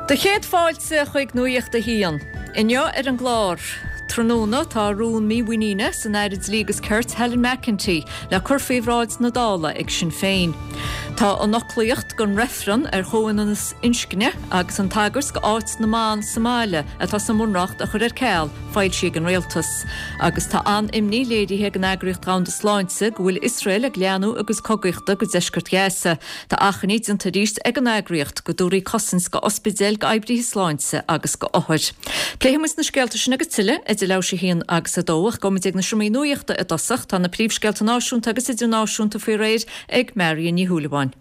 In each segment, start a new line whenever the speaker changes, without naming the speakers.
Do chéad fáilte chuig Nuacht a hAon. Inniu ar an gclár, Tráthnóna tá rún mímhuiníne san Aire Dlí agus Cirt Helen McEntee le cur faoi bhráid na Dála ag Sinn Féin. Tá an fhoclaíocht don reifreann ar chomhionannas inscne agus an tagairt go áit na mban sa mbaile atá sa mBunreacht a chur ar ceal foilsithe ag an Rialtas. Agus tá an-imní léirithe ag an Eagraíocht Dhomhanda Sláinte go bhfuil Iosrael ag leathnú a gcuid cogaíochta go deisceart Ghaza. Tá achainí déanta arís ag an eagraíocht go dtabharfaí cosaint go ospidéil, go oibrithe sláinte agus go othair. Pléifidh muid na scéalta sin agus tuilleadh idir leathuair tar éis a haon agus a dó ach gabhfaidh muid ag na seomraí nuachta i dtosach. Tá na príomhscéalta náisiúnta agus idirnáisiúnta faoi réir ag Marion Ní Shúilleabháin.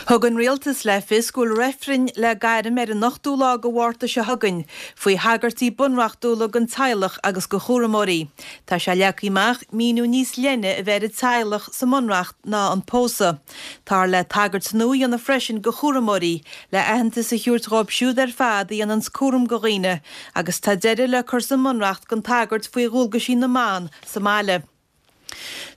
Thug an Rialtas le fios go bhfuil reifreann le gairm ar an ochtú lá de Mhárta seo chugainn faoi thagairtí bunreachtúla don teaghlach agus do chúramóirí. Tá sé leagtha amach míniú níos leithne a bheith ar an teaghlach sa mBunreacht ná an pósadh. Táthar le tagairt nua a dhéanamh freisin do chúramóirí, le aitheantas a thabhairt dhóibh siúd ar fad a dhéananns cúram do dhaoine, agus tá deireadh le cur sa mBunreacht don tagairt faoi dhualgaisí na mban sa mbaile.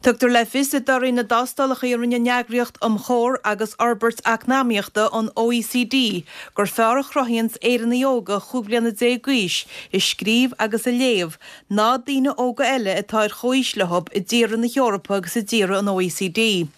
Tugtar le fios i dtorthaí na dtástálacha a rinne an Eagraíocht um Chomhar agus Fhorbairt Eacnamaíochta, an OECD, gur fearr a chruthaíonns Éireannaigh óga chúig bliana déag d'aois i scríobh agus i léamh ná daoine óga eile atá ar chomhaois leo i dtíortha na hEorpa agus i dtíortha an OECD.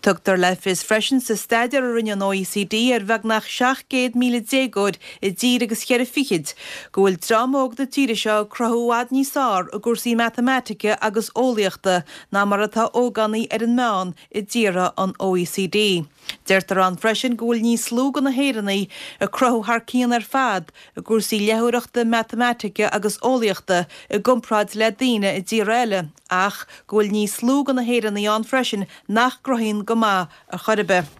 Tugtar le fios freisin sa staidéar a rinne an OECD ar bheagnach 700,000 déagóir i dtír agus cheithre fichid go bhfuil dream óg na tíre seo ag cruthú i bhfad níos fearr i gcúrsaí matamaitice agus eolaíochta ná mar atá ógánaigh ar an meán i dtíortha an OECD. Deirtear ann freisin go bhfuil níos lú de na hÉireannaigh ag cruthú thar cionn ar fad i gcúrsaí léitheoireachta, matamaitice agus eolaíochta i gcomparáid le daoine i dtíortha eile ach go bhfuil níos lú de na hÉireannaigh ann freisin nach gcruthaíonn go maith ar chor ar bith.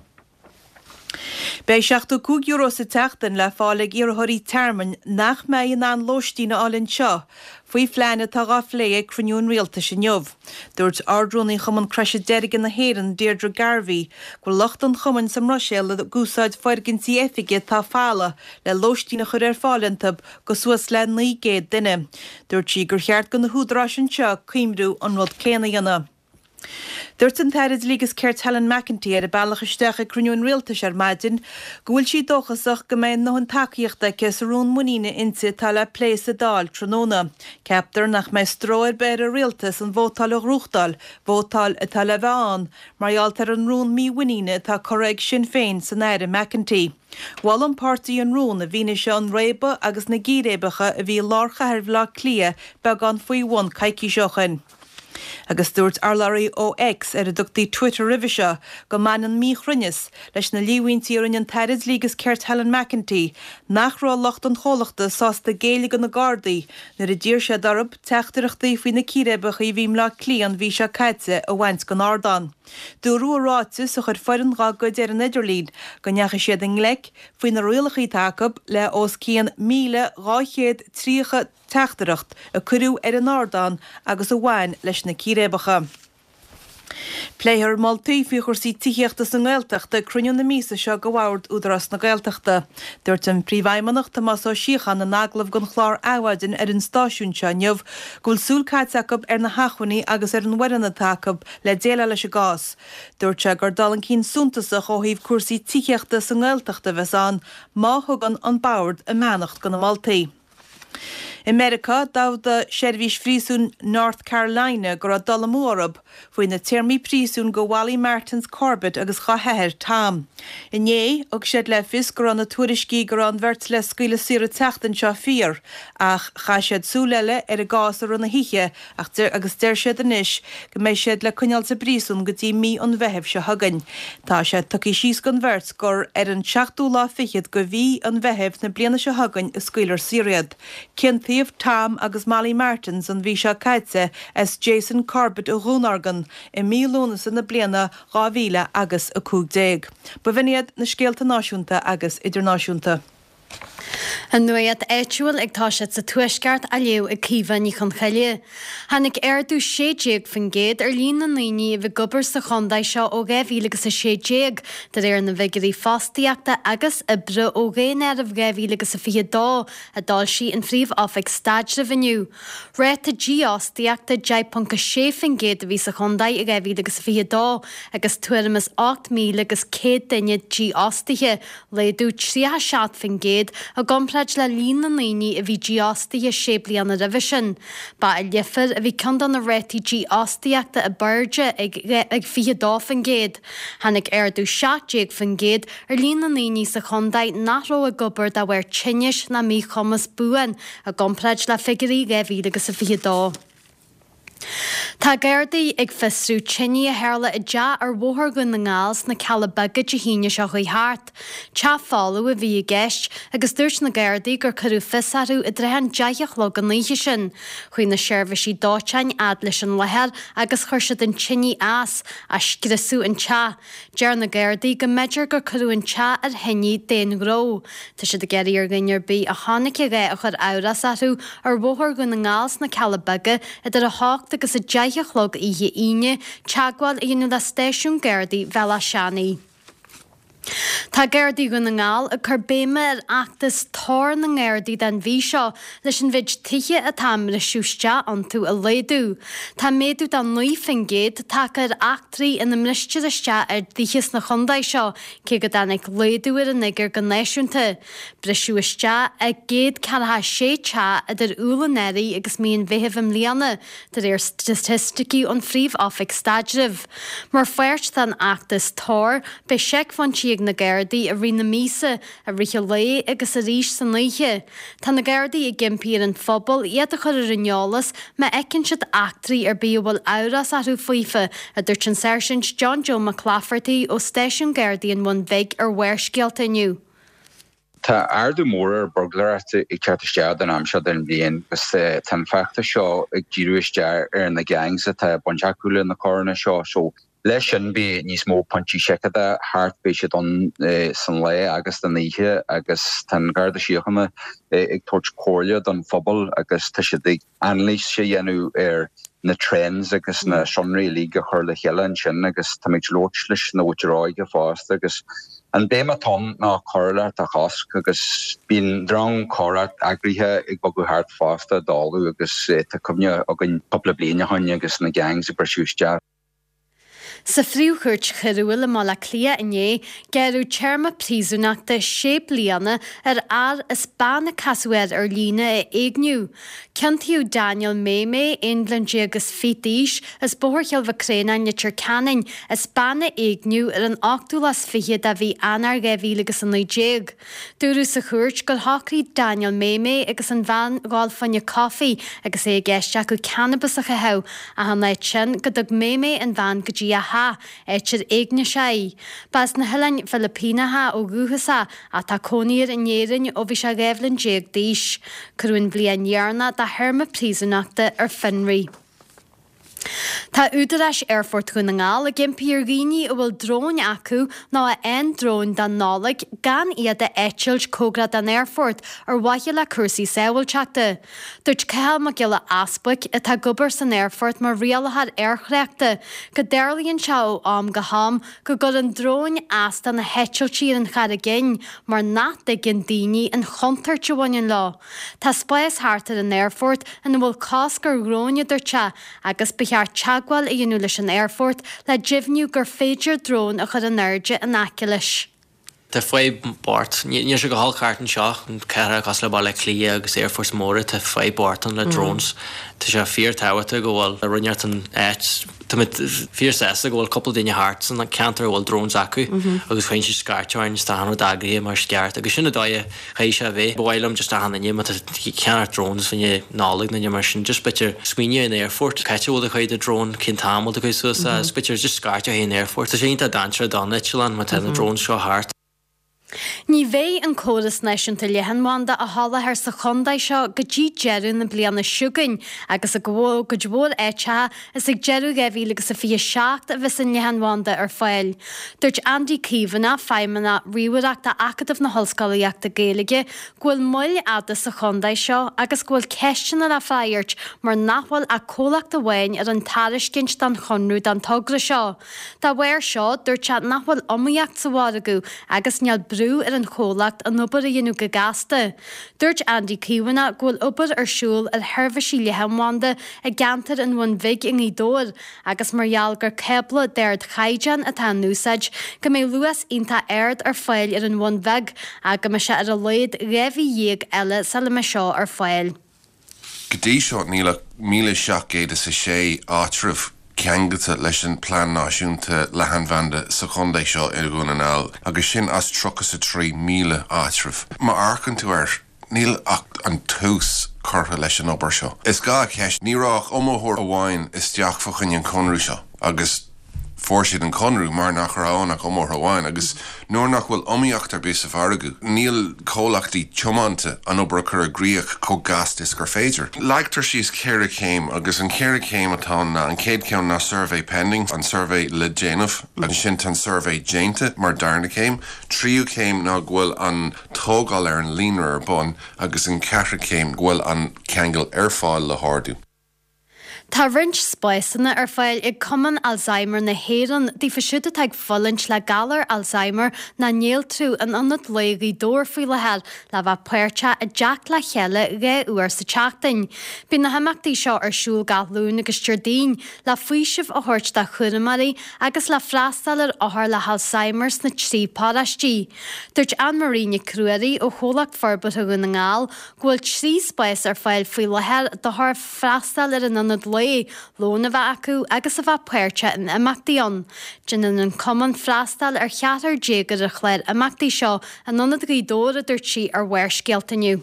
Beidh €75 sa tseachtain le fáil ag iarrthóirí tearmainn nach mbeidh in ann lóistín a fháil anseo faoi phlean atá dhá phlé ag cruinniú an Rialtais inniu. Dúirt Ard-Rúnaí Chumann Croise Deirge na hÉireann, Deirdre Garvey, go bhfuil lucht an chumainn sa mBruiséil ag úsáid foirgintí oifige atá folamh le lóistín a chur ar fáil iontu go suas le 900 duine. Dúirt sí gur cheart go na húdaráis anseo cuimriú an rud céanna a dhéanamh. Dúirt an tAire Dlí agus Cirt Helen McEntee ar a bealach isteach ag cruinniú an Rialtais ar maidin go bhfuil sí dóchasach go mbeidh a ndóthain tacaíochta aici sa rún muiníne inti atá le plé sa Dáil tráthnóna. Ceaptar nach mbeidh stró ar bith ar an Rialtas an vótáil a ghnóthachtáil, vótáil atá le bheith ann mar gheall ar an rún mímhuiníne atá curtha ag Sinn Féin san Aire McEntee. Mhol an páirtí an rún i bhfianaise an réabadh agus na gcíréibeacha a bhí i lár chathair Bhaile Átha Cliath beagán faoi bhun coicís ó shin. Agus dúirt urlabhraí ó X, ar a dtugtaí Twitter roimhe seo, go mbaineann míchruinneas leis na líomhaintí a rinne an tAire Dlí agus Cirt Helen McEntee nach raibh lucht an chomhlachta sásta géilleadh do na Gardaí nuair a d'iarr siad orthu teachtaireachtaí faoi na círéibeacha a bhí i mBleá Cliath an mhí seo caite a bhaint den ardán. Dúradh i ráiteas a chuir foireann dá gcuid ar an idirlíon go ndeachaigh siad i ngleic, faoi na rialacha atá acu, le os cionn 1,230 teachtaireacht a cuireadh ar an ardán agus a bhain leis na círéibeacha. Pléifear moltaí faoi chúrsaí tithíochta sa nGaeltacht ag cruinniú na míosa seo de Bhord Údarás na Gaeltachta. Dúirt an Príomhfheidhmeannach Tomás Ó Síocháin in agallamh don chlár Adhmhaidin ar an stáisiún seo inniu go bhfuil súil caite acu ar na hacmhainní agus ar an bhfoireann atá acu le déileáil leis an gcás. Dúirt sé gur dul chun cinn suntasach ó thaobh cúrsaí tithíochta sa nGaeltacht a bheas ann má thugann an Bord a mbeannacht do na moltaí. I Meiriceá, d'fhógair seirbhís phríosúin North Carolina go raibh dul amú orthu faoi na téarmaí príosúin do Mholly Martins Corbett agus dá hathair, Tom. Inné, thug siad le fios go raibh na tuairiscí go raibh an bheirt le scaoileadh saor an tseachtain seo fíor, ach chaith siad súil eile ar an gcás i rith na hoíche ach agus deir siad anois go mbeidh siad le coinneáil sa bpríosún go dtí mí an Mheithimh seo chugainn. Tá sé tugtha síos don bheirt gur ar an seachtú lá fichead de mhí an Mheithimh na bliana seo chugainn a scaoilfear saor iad. Ciontaíodh Tom agus Molly Martins an mhí seo caite as Jason Corbett a dhúnorgain i mí Lúnasa na bliana 2015. B'in iad na scéalta náisiúnta agus idirnáisiúnta.
An nuacht áitiúil ag toiseacht sa Tuaisceart á léamh ag Caoimhe Ní Chonchoille. Tháinig ardú 16% ar líon na ndaoine a bhí ag obair sa chontae seo ó 2016, de réir na bhfigiúirí fostaíochta agus oibre ó Dhaonáireamh 2022 a d'fhoilsigh an Phríomh-Oifig Staidrimh inniu. Ráta dífhostaíochta 10.6% a bhí sa chontae i 2022 agus tuairim is 8,000 agus 100 duine dífhostaithe, laghdú 37% i gcomparáid le líon na ndaoine a bhí dífhostaithe sé bliana roimhe sin. Ba i Leifear a bhí ceann de na rátaí dífhostaíochta ab airde ag 22%. Tháinig ardú 17% ar líon na ndaoine sa chontae nach raibh ag obair de bharr tinnis ná míchumas buan i gcomparáid le figiúirí 2022. Tá Gardaí ag fiosrú tine a tharla i dteach ar Bhóthar Dhún na nGall sna Cealla Beaga Dé hAoine seo chuaigh thart. Teach folamh a bhí i gceist agus dúirt na Gardaí gur cuireadh fios orthu i dtrátha an deich a chlog an oíche sin. Chuaigh na seirbhísí dóiteáin fhad leis an láthair agus chuir siad an tine as, ach scriosadh an teach. Deir na Gardaí go mb'fhéidir gur cuireadh an teach ar thine d'aon ghnó. Tá siad ag iarraidh ar dhuine ar bith a chonaic a dhath a chuir amhras orthu ar Bhóthar Dhún na nGall sna Cealla Beaga idir 8 agus 10 a chlog oíche Aoine teagmháil a dhéanamh le stáisiún Gardaí Bhéal Átha Seanaidh. Tá Gardaí Dhún na nGall ag cur béime ar fheachtas Tor na nGardaí don mhí seo leis an mhéid tithe atá á mbriseadh isteach iontu a laghdú. Tá méadú de 9% tagtha ar eachtraí ina mbristear isteach ar dtithe sna chontae seo, cé go dtáinig laghdú ar an fhigiúr go náisiúnta. Briseadh isteach i 146 teach idir Iúil anuraidh agus mí an Mheithimh i mbliana, de réir staitisticí ón Phríomh-Oifig Staidrimh. Mar pháirt den fheachtas Tor, beidh seicphointí ag na Gardaí i rith na míosa, i rith an lae agus arís san oíche. Tá na Gardaí ag impí ar an phobal iad a chur ar an eolas má fheiceann siad eachtraí ar bith a bhfuil amhras orthu faofa, a dúirt an Sáirsint John Joe Mac Laifeartaigh ó Stáisiún Gardaí an Bhun Bhig ar Bharrscéalta inniu.
Tá ardú mór ar bhurglóireacht ag teacht isteach don am seo den bhliain agus tá an feachtas seo ag díriú isteach ar na gangs atá baint acu le na coireanna seo. So leis sin beidh níos mó pointí seiceála thart, beidh siad ann san lá agus san oíche agus tá an Garda Síochána ag tabhairt comhairle don phobal agus tá siad ag anailís a dhéanamh ar na trends agus na sonraí uilig a chur le chéile ansin agus táimid ag labhairt leis na mhuintir óige fosta agus an béim atá ann ná coiriúlacht a chosc agus bíonn drong comhrac eagraithe ag bogadh thart fosta i dtólamh agus tá cuimhne againn cúpla bliain ó shoin agus na gangs ag briseadh isteach.
Sa Phríomh-Chúirt Choiriúil i mBaile Átha Cliath inné, gearradh téarma príosúnachta sé bliana ar fhear as bean a casadh air ar líne a éigniú. Ciontaíodh Daniel Maymay, 11 bliain is fiche d'aois, as Bóthar Chill Mhic Réanáin, Leitir Ceanainn, as bean a éigniú ar an ochtú lá is fiche de mhí Eanáir 2019. Dúradh sa chúirt gur shocraigh Daniel Maymay agus an bhean dhul fá choinne coffee agus é i gceist acu cannabas a chaitheamh, ach in áit sin go dtug Maymay an bhean go dtí a theach, áit ar éignigh sé í. Ba as na hOileáin Philipíneacha ó dhúchas é ach tá cónaí air in Éirinn ó bhí sé 12 bhliain d'aois. Cuireadh an bhliain dheireanach dá théarma príosúnachta ar fionraí. Tá údaráis Aerfort Dhún na nGall ag impí ar dhaoine a bhfuil dróin acu nó a fhaigheann dróin don Nollaig gan iad a eitilt cóngarach don aerfort ar mhaithe le cúrsaí sábháilteachta. Dúirt Cathal Mac Giolla Easbuic, atá ag obair san aerfort mar rialaitheoir aerthráchta, go dtarlaíonn sé ó am go ham go gcuireann dróin as do na heitiltí ar an Charraig Fhinn mar nach dtuigeann daoine an chontúirt a bhaineann leo. Tá spás thart ar an aerfort ina bhfuil cosc ar dhróin, a dúirt sé, agus ba cheart teagmháil a dhéanamh leis an aerfort le deimhniú gur féidir drón a chur in airde in aice leis.
Tá fadhb bocht. Níl sé go holc thart anseo, cathracha cosúil le Baile Átha Cliath agus aerfoirt móra, tá fadhb bocht ann le drones. Tá sé fíor tábhachtach go bhfuil rud inteacht san áit. Tá mé fíor sásta go bhfuil cúpla duine thart san ceantar a bhfuil drones acu agus cuireann siad scairt orainn is tá achan rud eagraithe mar is ceart agus sin an dóigh a Chaithfidh sé a bheith. Ba mhaith liom just achan duine, má tá tú ag ceannacht drones fá choinne Nollag nó mar sin, just b'fhéidir smaoineamh ar an aerfort, cá háit a bhfuil tú ag cur do drone, cén t-am a bhfuil tú ag cur suas é, agus b'fhéidir just scairteadh chuig an aerfort. Tá sé iontach dainséarach don eitleán má tá na drones seo thart.
Ní bheidh an córas náisiúnta leathanbhanda á sholáthar sa chontae seo go dtí deireadh na bliana seo chugainn agus i gcuid mhór áiteacha is ag deireadh 2027 a bheas an leathanbhanda ar fáil. Dúirt Andy Caomhánach, Feidhmeannach Ríomhaireachta Acadamh na hOllscolaíochta Gaeilge, go bhfuil moill fhada sa chontae seo agus go bhfuil ceisteanna le freagairt mar nach bhfuil ach comhlacht amháin a rinne tairiscint don chonradh don togra seo. Dá bharr seo, dúirt sé nach bhfuil iomaíocht sa mhargadh agus níl brú ar an chomhlacht an obair a dhéanamh go gasta. Dúirt Andy Caomhánach go bhfuil obair ar siúl ar sheirbhísí leathanbhanda i gceantar an Bhun Bhig i nGaoth Dobhair agus mar gheall gur cábla d'ardchaighdeán atá in úsáid, go mbeidh luas iontach ard ar fáil ar an Bhun Bheag ach go mbeidh sé ar a laghad 12 mhí eile sula mbeidh seo ar fáil.
Go dtí seo níl ach 1,706 áitreabh ceangailte leis an Plean Náisiúnta Leathanbhanda sa chontae seo i Dhún na nGall agus sin as 33,000 áitreabh. Má amharcann tú air, níl ach an tús curtha leis an obair seo. Is gá a cheist, ní raibh ach iomaitheoir amháin isteach fá choinne an conradh seo agus Fuair siad an conradh mar nach raibh ann ach iomaitheoir amháin agus nuair nach bhfuil iomaíocht ar bith sa mhargadh, níl comhlachtaí tiomanta an obair a chur i gcrích chomh gasta is gur féidir. Leagtar síos ceithre chéim agus an ceithre chéim atá ann ná, an chéad cheann ná suirbhé pending, an suirbhé le déanamh, ansin tá an suirbhé déanta mar darna céim, tríú céim ná go bhfuil an tógáil ar an líonra ar bun agus an ceathrú céim go bhfuil an ceangal ar fáil le hordú.
Tá roinnt spásanna ar fáil ag Cumann Alzheimer na hÉireann daofa siúd atá ag fulaingt le galar Alzheimer nó néaltrú in Ionad Lae Ghaoth Dobhair faoi láthair le bheith páirteach i dteacht le chéile 2 uair sa tseachtain. Bíonn na himeachtaí seo ar siúl gach Luan agus Déardaoin le faoiseamh a thabhairt do chúramóirí agus le freastal ar othair le hAlzheimer sna trí paróistí. Dúirt Anne Marie Nic Ruairí ó Chomhlacht Forbartha Dhún na nGall go bhfuil 3 spás ar fáil faoi láthair d'othair freastal ar an ionad lae, lón a bheith acu agus a bheith páirteach in imeachtaí ann. Déanann an cumann freastal ar cheathrar déag ar an chlár imeachtaí seo in Ionad Ghaoth Dobhair, a dúirt sí ar Bharrscéalta inniu.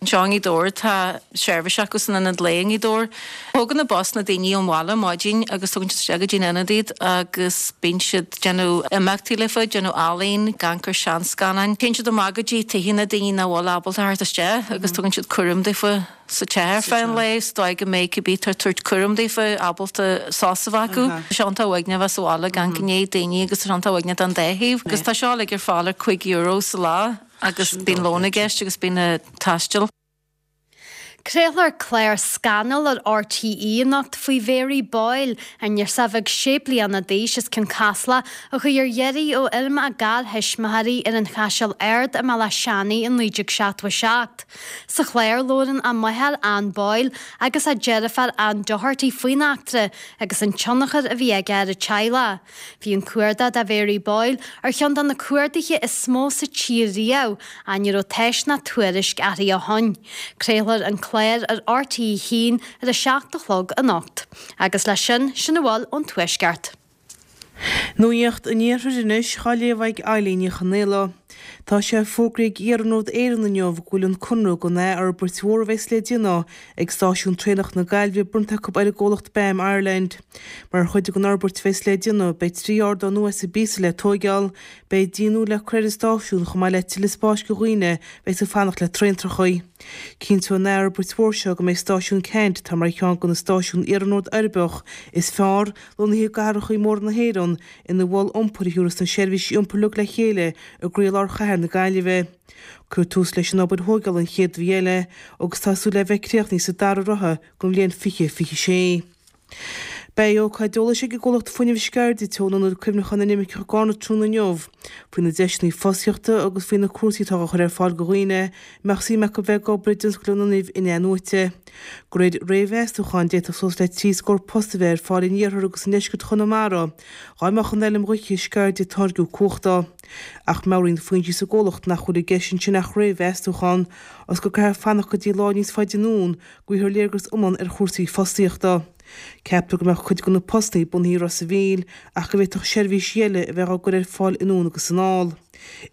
Anseo i nGaoth Dobhair tá seirbhís acu san ionad lae i nGaoth Dobhair. Tógann an bus na daoine ón bhaile ar maidin agus tugann siad isteach go dtí an ionad iad agus bíonn siad ag déanamh imeachtaí leofa, déanamh ealaín, ag amharc ar seanscannáin. Téann siad amach go dtí tithe na daoine nach bhfuil ábalta theacht isteach agus tugann siad cúram daofa. sa teach ar feadh an lae, sa dóigh go mbeidh cibé atá ag tabhairt cúram daofa ábalta sásamh a bheith acu. Tá sé iontach uaigneach a bheith sa bhaile gan gné daoine agus tá sé iontach uaigneach don dá thaobh. Agus tá seo uilig ar fáil ar €5 sa lá agus bíonn lón i gceist agus bíonn na taisteal.
Craolfar clár scannal ar RTÉ anocht faoi Mhary Boyle, an ghirseach bheag sé bliana d'aois as Cionn Caslach a chuaigh ar iarraidh ó fheirm a garthuismitheoirí ar an Chaiseal Ard i mBealach Seanaidh i 1977. Sa chlár, labhrann a máthair Anne Boyle agus a deirfiúr Anne Doherty faoin eachtra agus an tionchar a bhí aige ar a teaghlach. Bhí an cuardach do Mhary Boyle ar cheann de na cuarduithe is mó sa tír riamh ach ní raibh tásc ná tuairisc uirthi ó shin. Craolfar an clár ar RTÉ 1 ar a 7 a chlog anocht. Agus leis sin, sin a bhfuil ón Tuaisceart.
Nuacht an Iarthair anois á léamh ag Eilín Ní Chonaola. Tá sé fógraithe ag Iarnród Éireann inniu go bhfuil an conradh don athfhorbairt mhór a bheas le déanamh ag stáisiún traenach na Gaillimhe bronnta acu ar an gcomhlacht BAM Ireland. Mar chuid den fhorbairt a bheas le déanamh, beidh 3 ardán nua is píosa le tóigeáil, beidh díon nua le cur ar an stáisiún chomh maith le tuilleadh spáis do dhaoine a bheas ag fanacht le traentrachaí. Cinnteoidh an athfhorbairt mhór seo go mbeidh stáisiún Ceannt, atá mar cheann de na stáisiúin iarnróid uirbeach is fearr, lonnaithe i gcathracha móra na hÉireann, ina mhol iompair a thabharfas na seirbhísí iompair uilig le chéile i gcroílár chathair na Gaillimhe. Cuirfear tús leis an obair thóigeála an chéad mhí eile agus tá súil le bheith críochnaithe sa dara ráithe den bhliain 2026. Beidh ócáid eolais ag an gcomhlacht fuinnimh Sceirde Teo in Ionad Cuimhneacháin na nImirceach i gCarna tráthnóna inniu faoi na deiseanna fostaíochta agus faoi na cúrsaí atá á chur ar fáil do dhaoine a mbeadh suim acu bheith ag obair i dtionscal an fhuinnimh in-athnuaite. De réir réamh-mheastúcháin, d'fhéadfadh suas le 3 scór post a bheith ar fáil in iarthar agus i ndeisceart Chonamara dá mbeadh an fheilm ghaoithe Sceirde ag táirgiú cumhachta. Ach meabhraíonn foinsí sa gcomhlacht nach bhfuil i gceist ansin ach réamh-mheastúchán, agus go gcaithfear fanacht go dtí lá níos faide anonn go bhfaighfear léargas iomlán ar chúrsaí fostaíochta. Ceaptar go mbeadh cuid de na postanna bunaithe i Ros a' Mhíl ach go bhféadfadh seirbhísí eile a bheith á gcur ar fáil anonn agus anall.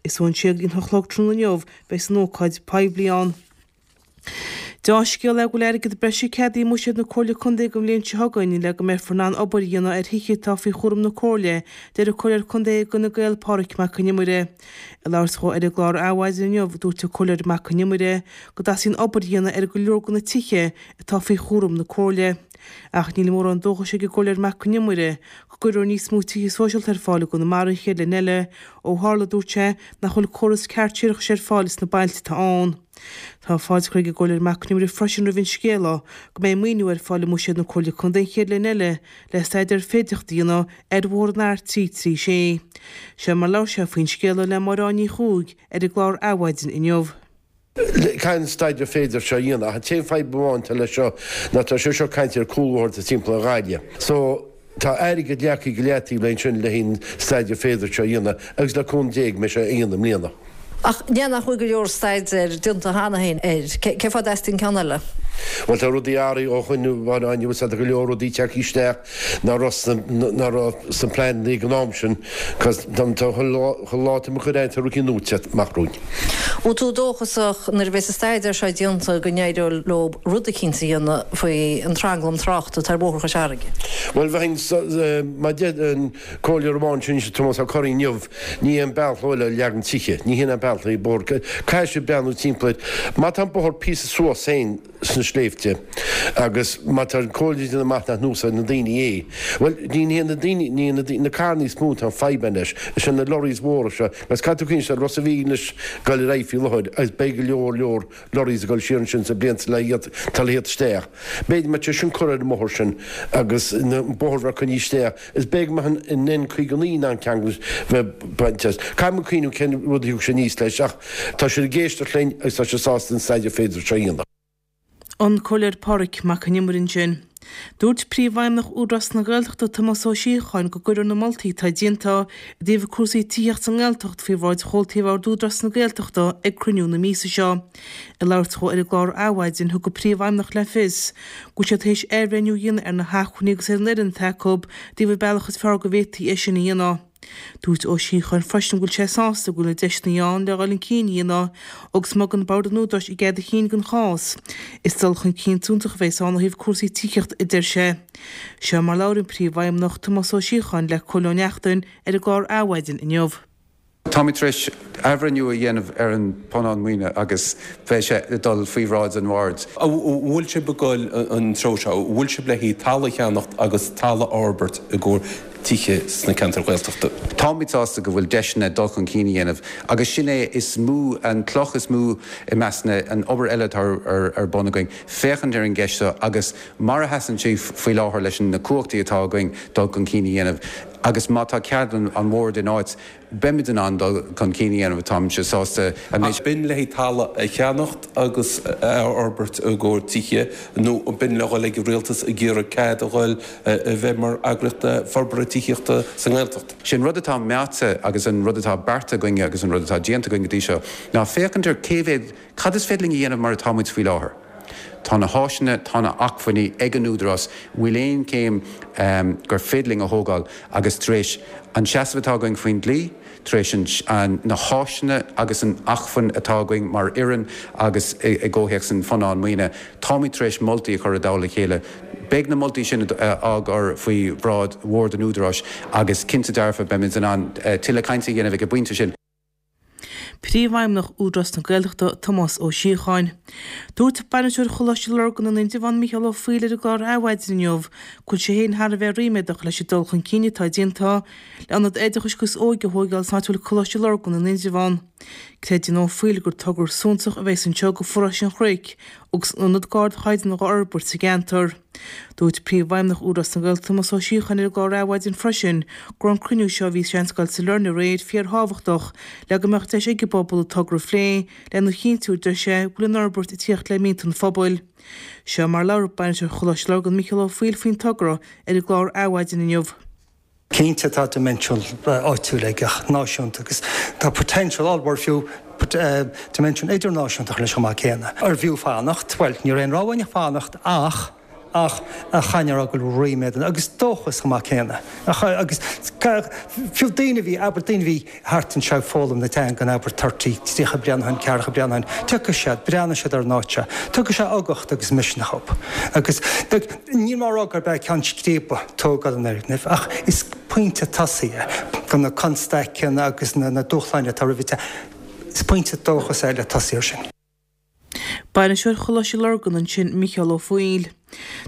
Is ón sé go dtí an hocht a chlog tráthnóna inniu a bheas an ócáid poiblí ann. Deá-scéala é go bhfuil airgead breise ceadaithe i mbuiséad na Comhairle Contae don bhliain seo chugainn le go mbeifear in ann obair a dhéanamh ar thithe atá faoi chúram na Comhairle, deir an Comhairleoir Contae d'Fhine Gael Pádraig Mac Con Iomaire. Ag labhairt dhó ar an gclár Adhmhaidin inniu, dúirt an Comhairleoir Mac Con Iomaire go dteastaíonn obair a dhéanamh ar go leor de na tithe atá faoi chúram na Comhairle. Ach níl mórán dóchais ag an gComhairleoir Mac Con Iomaire go gcuirfear níos mó tithe sóisialta ar fáil i gConamara an chéad bhliain eile, ó tharla, dúirt sé, nach bhfuil córas ceart séarachais ar fáil sna bailte atá ann. Tá fáilte curtha ag an gComhairleoir Mac Con Iomaire freisin roimh an scéala go mbeidh maoiniú ar fáil i mbuiséad na Comhairle Contae an chéad bhliain eile le staidéar féidearthachta a dhéanamh ar bhóthar an R336. Seo mar labhair sé faoin scéala le Máire Áine Ní Chuaig ar an gclár Adhmhaidin inniu.
Caithfidh an staidéar féidearthachta seo a dhéanamh ach an t-aon fadhb amháin atá leis seo ná tá sé seo ag caint ar cúlbhóithre timpeall ar Ghaillimh. So. Tá airgead leagtha go leataobh le ansin le haghaidh an staidéar féidearthachta seo a dhéanamh agus le cúnamh Dé go mbeidh sé á dhéanamh i mbliana.
Ach ní hea nach bhfuil go leor staidéir déanta cheana féin air? Cén fáth a dteastaíonn ceann eile?
Bhuel tá rudaí athraithe ó shoin a Mháire Áine, bhfuil tá go leor rudaí tagtha isteach nach raibh sna nach raibh sna pleananna ag an am sin cos tá chuile lá atá muid ag cur air tá rudaí nua ag teacht amach romhainn.
Bhfuil tú dóchasach nuair a bheas an staidéar seo déanta go n-éireoidh leo rud eicínt a dhéanamh faoi an tranglam tráchta atá ar Bhóthar Chois Fharraige?
Bhuel, bheinn, mar a deir an comhairleoir amháin sin, Tomás Ó Curraoin inniu, ní hé an bealach leo le leagan tithe, ní hin an bealach le bóthar, caithfidh siad breathnú timpeall air. Má tá an bóthar píosa suas féin sna sléibhte agus má tá an comhairle ag déanamh amach nach n-úsáideann na daoine é, bhuel, ní hé na daoine, ní hé na daoine, na carranna is mó atá an fadhb ann leis, is é na lorries mhóra seo, agus caithfidh tú cuimhneamh ar Ros a' Mhíl anois ag dul ar aghaidh faoi láthair agus beidh go leor leor lorries ag dul siar ansin sna blianta le atá le theacht isteach. B'fhéidir má tá sé sin curtha ar an mbóthar sin agus an bóthar bheith coinnithe isteach, is b'fhéidir go mbeadh an N59 in ann ceangal bheith bainte as. Caithfidh muid cuimhniú cén rud a thiocfaidh sé aníos leis ach tá siad ag éisteacht linn agus tá siad sásta an staidéar féidearthachta seo a dhéanamh.
An Comhairleoir Pádraig Mac Con Iomaire ansin. Dúirt Príomhfheidhmeannach Údarás na Gaeltachta Tomás Ó Síocháin go gcuirfear na moltaí atá déanta i dtaobh cúrsaí tithíochta sa nGaeltacht faoi bhráid chomhaltaí Bhord Údarás na Gaeltachta ag cruinniú na míosa seo. Ag labhairt dhó ar an gclár Adhmhaidin, thug an Príomhfheidhmeannach le fios go bhfuil siad tar éis athbhreithniú a dhéanamh ar na hacmhainní agus ar an fhoireann atá acu i dtaobh an bealach is fearr go bhféadfaí é sin a dhéanamh. Dúirt Ó Síocháin freisin go bhfuil sé sásta go bhfuil na deiseanna ann le dhul chun cinn a dhéanamh agus má thugann Bord an Údaráis a gcead cinn don chás, is dul chun cinn suntasach a bheas ann ó thaobh cúrsaí tithíochta, a deir sé. Seo mar labhair an Príomhfheidhmeannach, Tomás Ó Síocháin le Cóil Ó Neachtain ar an gclár Adhmhaidin inniu.
Táimid tar éis athbhreithniú a dhéanamh ar an bpunann maoine agus beidh sé ag dul faoi bhráid an Bhoird.
An bhfuil sibh ag dul an treo seo? An bhfuil sibh le haghaidh talamh a cheannacht agus talamh a fhorbairt i gcomhair tithe sna ceantair Ghaeltachta?
Táimid sásta go bhfuil deiseanna dul chun cinn a dhéanamh agus sin é is mó, an cloch is mó i measc na, an obair eile atá ar bun againn, féachaint ar an gceist seo agus mar a sheasann sé faoi láthair leis na cumhachtaí atá againn dul chun cinn a dhéanamh agus má tá cead an Bhoird in áit, beimid in ann dul chun cinn a dhéanamh, táimse sásta an méid.
B'in le haghaidh talamh a cheannacht agus a fhorbairt i gcomhair tithe nó b'in le dhul ag an rialtas ag iarraidh cead a dhul a bheith mar eagraíocht forbartha tithíochta sa nGaeltacht?
Sé an rud atá meáite agus an rud atá beartaithe againne agus an rud atá déanta againn go dtí seo ná féachaint ar cé mhéad, cad is féidir linn a dhéanamh mar atá muid faoi láthair. Tá na háiseanna, tá na acmhainní ag an Údarás, bhfuil aon chéim gur féidir linn a thógáil agus tar éis an seasamh atá againn faoin dlí, tar éis an na háiseanna agus an acmhainn atá againn mar fhoireann agus i gcomhthéacs an phunann maoine, táimid tar éis moltaí a chur i dtoll a chéile. Beidh na moltaí sin á gcur faoi bhráid Bhord an Údaráis agus cinnte dearfa beimid in ann tuilleadh cainte a dhéanamh ag an bpointe sin.
Príomhfheidhmeannach Údarás na Gaeltachta, Tomás Ó Síocháin. Dúirt Bainisteoir Choláiste Lurgan in Indreabhán, Mícheál Ó Foighil ar an gclár Adhmhaidin inniu go bhfuil sé féin thar a bheith ríméadach leis an dul chun cinn atá déanta le ionad oideachais agus óige a thóigeáil san áit a bhfuil Coláiste Lurgan in Indreabhán. Creideann Ó Foighil gur togra suntasach a bheas anseo go Pharóiste an Chnoic agus an ionad d'ardchaighdeán á fhorbairt sa gceantar. Dúirt Príomhfheidhmeannach Údarás na Gaeltachta Tomás Ó Síocháin ar an gclár Adhmhaidin freisin go raibh an cruinniú seo a bhí sa Seanscoil sa Lornaigh aréir fíorthábhachtach le go mbeadh deis ag an bpobal an togra a phlé lena chinntiú, a deir sé, go bhfuil an fhorbairt ag tíocht le mianta an phobail. Seo mar a labhair Bainisteoir Choláiste Lurgan Mícheál Ó Foighil faoin togra ar an gclár Adhmhaidin inniu.
Cinnte tá dimension áitiúil aige ach náisiúnta agus tá potential ollmhór fiú dimension idirnáisiúnta leis chomh maith céanna. Arbh fhiú fanacht? Bhuel, ní raibh aon rogha againn ach fanacht ach. Ach chaithfinn a rá go bhfuil ríméad ann, agus dóchas chomh maith céanna. Agus fiú daoine a bhí, abair, daoine a bhí thart anseo ag foghlaim na teangan, abair, 30, 30 bliain ó shin, ceathracha bliain ó shin, tiocfaidh siad, breathnóidh siad ar an áit seo, tiocfaidh sé uchtach agus misneach dhóibh. Agus níl mé á rá gurb é ceann scríbe tógáil an fhoirgnimh, ach is pointe tosaigh é do na constaiceanna agus na dúshláin atá roimh an Is pointe dóchais é le tosaí air sin.
Bainisteoir Choláiste Lurgan ansin, Micheál Ó Foighil.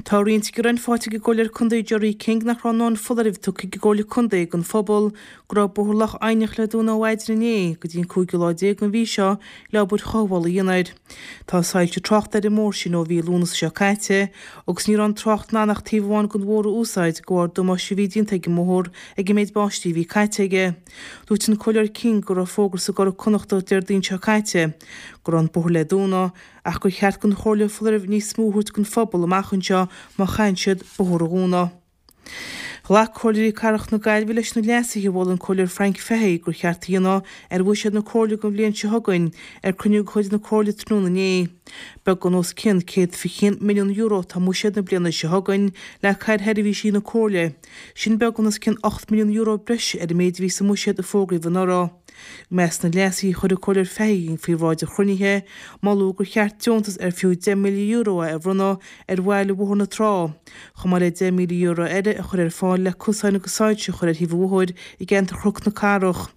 Tá roinnt gearáin faighte ag an gComhairleoir Contae Gerry King nach raibh a ndóthain foláirimh tugtha ag an gComhairle Contae don phobal go raibh Bóthar Loch Eidhneach le dúnadh ó mhaidin inné go dtí an cúigiú lá den mhí seo le obair chothabhála a dhéanamh air. Tá soilse tráchta ar an mbóthar sin ó mhí Lúnasa seo caite agus ní raibh an trácht in ann ach taobh amháin den bhóthar a úsáid de bharr damáiste a bhí déanta ag an mbóthar ag an méid báistí a bhí caite aige. Dúirt an Comhairleoir King go raibh fógra sa gCuradh Connachtach Déardaoin seo caite go raibh an bóthar le dúnadh ach gur cheart don Chomhairle foláireamh níos mó a thabhairt don phobal amach anseo má chaitheann siad bóthar a dhúnadh. Ghlac Comhairleoirí Cathrach na Gaillimhe leis na leasuithe a mhol an Comhairleoir Frank Fahy gur cheart a dhéanamh ar bhuiséad na Comhairle don bhliain seo chugainn ar cruinniú de chuid na Comhairle tráthnóna inné. Beagán os cionn €121 milliún atá i mbuiséad na bliana seo chugainn le cur ar sheirbhísí na Comhairle. Sin beagán os cionn €8 milliún breise ar an méid a bhí sa mbuiséad a fógraíodh anuraidh. I measc na leasuithe a chuir an Comhairleoir Fahy faoi bhráid an chruinnithe, moladh gur cheart deontas ar fiú €10,000 é a bhronnadh ar bhaill Bhóthar na Trá, chomh maith le €10,000 eile a chur ar fáil le cosáin agus soilse a chur ar thaobh an bhóthair i gceantar Chnoc na Cathrach.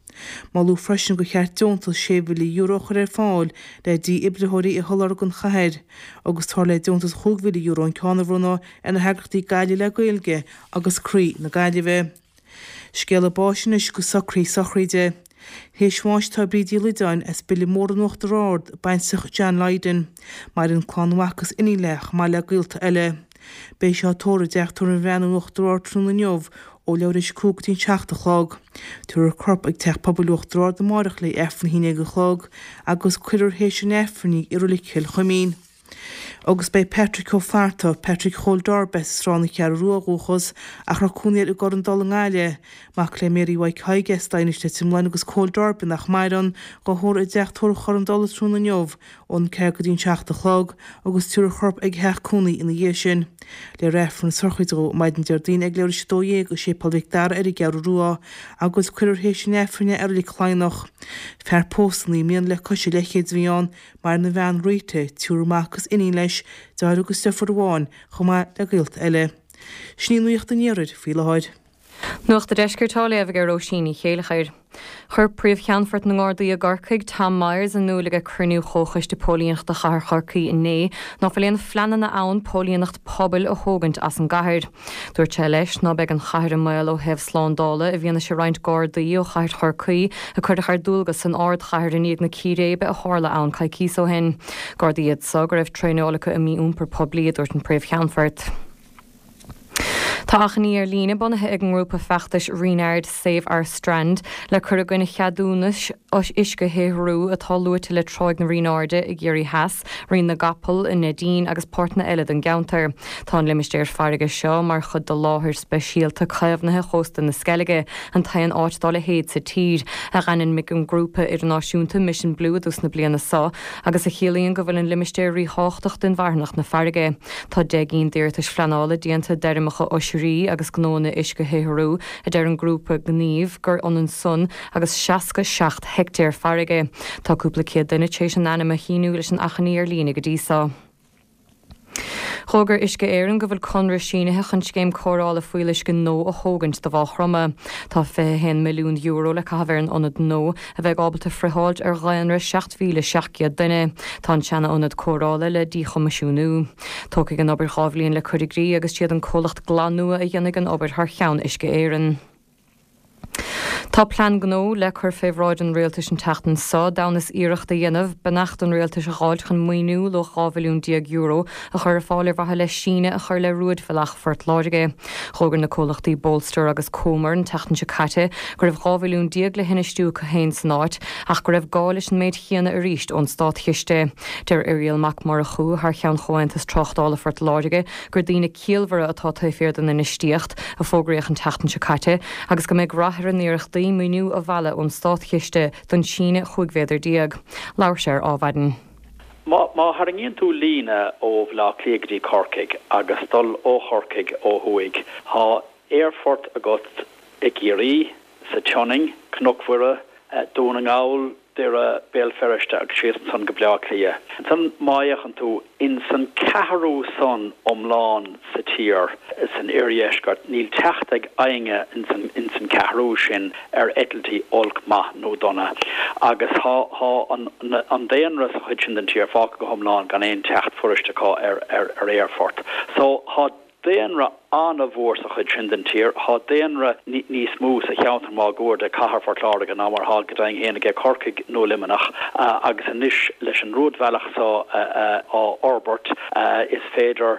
Moladh freisin gur cheart deontas €6,000 a chur ar fáil le dífhibritheoirí a sholáthar don chathair, agus táthar le deontas €5,000 an ceann a bhronnadh ar na heagraíochtaí Gaillimh le Gaeilge agus Croí na Gaillimhe. Scéala báis anois agus socruithe sochraide. Théis bháis atá Bríd Uí Loideáin as Bile Mór in Uachtar Ard, baintreach John Lydon. Maireann clann mhac agus iníon léi chomh maith le gaolta eile. Beidh sí á tórramh i dTeach Tórraimh an Bhreathnaigh in Uachtar Ard tráthnóna inniu ó leathuair théis 5 go dtí an 7 a chlog. Tabharfar a corp ag Teach Pobail Uachtar Ard amárach le Aifreann a 11 a chlog agus cuirfear théis an Aifrinn í i Reilig Chill Chuimín. Agus beidh Patrick Ó Flatharta, Patrick Chóil Darby as Sráth na Ceathrú Rua ó dhúchas ach a raibh cónaí air i gCorr an Dola i nGaillimh, mac le Mary Mhaidhc Thaidhg as Daighinis Leitir Mealláin agus Cóil Darby nach maireann, dhá thórramh i dTeach Tórraimh Chorr an Dola tráthnóna inniu ón 4 go dtí an 7 a chlog agus tabharfar a chorp ag a theach cónaí ina dhiaidh sin. Léifear Aifreann na sochraide dhó maidin Déardaoin ag leathuair théis 12 i Séipéal Mhic Dara ar an gCeathrú Rua agus cuirfear théis an Aifrinn é i Reilig Chladhnach. Fear pósta naoi mbliana le cois a leithchéid a bhí ann, Maireann a bhean Rita, triúr mac agus iníon leis, deartháir agus deirfiúr amháin, chomh maith le gaolta eile. Sin í nuacht an Iarthair faoi láthair.
Nuacht an Deiscirt á léamh ag Róisín Ní Chéilleachair. Chuir Príomh-Cheannfort na nGardaí i gCorcaigh, Tom Myers, in iúl ag cruinniú Chomhchoiste Póilíneachta Chathair Chorcaí inné ná fuil aon phleananna ann póilíneacht pobail a thógaint as an gcathair. Dúirt sé leis ná beidh an chathair i mbaol ó thaobh slándála i bhfianaise roinnt Gardaí ó chathair Chorcaí a cuireadh ar dualgas san ardchathair i ndiaidh na círéibe a tharla ann coicíos ó shin. Gardaí iad so go raibh traenáil acu i mí-iompar poiblí, a dúirt an Príomh-Cheannfort. Tá achainí ar líne bunaithe ag an ngrúpa feachtais Reenard Save Our Strand le cur i gcoinne cheadúnais uisce-shaothrú atá luaite le Tráigh na Rianáirde i gCiarraí Theas. Rinn na gCapall i Neidín agus páirteanna eile den gceantar. Tá an limistéar farraige seo mar chuid de láthair speisialta caomhnaithe Chósta na Sceilge, an t-aon áit dá leithéid sa tír, a d'ainmnigh an grúpa idirnáisiúnta Mission Blue i dtús na bliana seo, agus a chiallaíonn go bhfuil an limistéar ríthábhachtach d'inmharthanacht na farraige. Tá 10 gcinn d'iarratais phleanála déanta d'fheirmeacha oisrí agus gnóanna uisce-shaothrú, a deir an grúpa gnímh gur ionann san agus 67 heictéar farraige. Tá cúpla céad duine tar éis a n-ainm a shíniú leis an achainí ar líne go dtí seo. D'fhógair Uisce Éireann go bhfuil conradh sínithe chun scéim cóireála fuíolluisce nua a thógaint do Mhaigh Chromtha. Tá €21 milliún le caitheamh ar an ionad nua, a bheidh ábalta friotháilt ar dhaonra 7,700 duine. Tá an seana-ionad cóireála le díchoimisiúnú. Tógfaidh an obair dhá bhliain le cur i gcrích agus siad an comhlacht Glanua a dhéanfaidh an obair thar cheann Uisce Éireann. Tá plean gnó le cur fé bhráid an Rialtais an tseachtain seo, d'fhonn is iarracht a dhéanamh beannacht an Rialtais a dh'fháilt chun maoiniú luach €12 mhilliún a chur ar fáil ar mhaithe le síneadh a chur le rúidbhealach Phort Láirge. Dh'fhógair na comhlachtaí Bolster agus Comer an tseachtain seo caite go raibh 12 mhilliún le hinfheistiú acu féin san áit ach go raibh gá leis an méid chéanna arís ón státchiste. Deir Irial Mac Murchú thar cheann Chomhaontas Tráchtála Phort Láirge gur daoine ciallmhara atá taobh thiar den infheistíocht, a fógraíodh an tseachtain seo caite, agus go mbeidh rath ar a n-iarrachtaí maoiniú a mhealladh ón státchiste don síneadh 15 mhéadar. Labhair sé ar Ádhmhaidin.
Má tharraingíonn tú líne ó Bhaile Átha Cliath go dtí Corcaigh agus dul ó Chorcaigh ó thuaidh, tá aerfort agat i gCiarraí, sa tSionainn, Cnoc Mhuire, Dún na nGall, Doire, Béal Feirste agus síos ansan go Bleá Cliath. Ansan má fhéachann tú ins an ceathrú san iomlán sa tír, san oirdheisceart, níl teacht ag éinne ins an ins an ceathrú sin ar eitiltí olc, maith nó dona. Agus thá thá an an daonra sa chuid sin den tír fágtha go hiomlán gan aon teacht fuirist acu ar ar ar aerfort. So thá daonra an-mhór sa chuid sin den tír. Thá daonra níos mó sa cheantar máguaird ag cathair Phort Láirge ná mar thá go deimhin féin aige Corcaigh nó Luimneach agus anois leis an rúidbhealach so á fhorbairt is féidir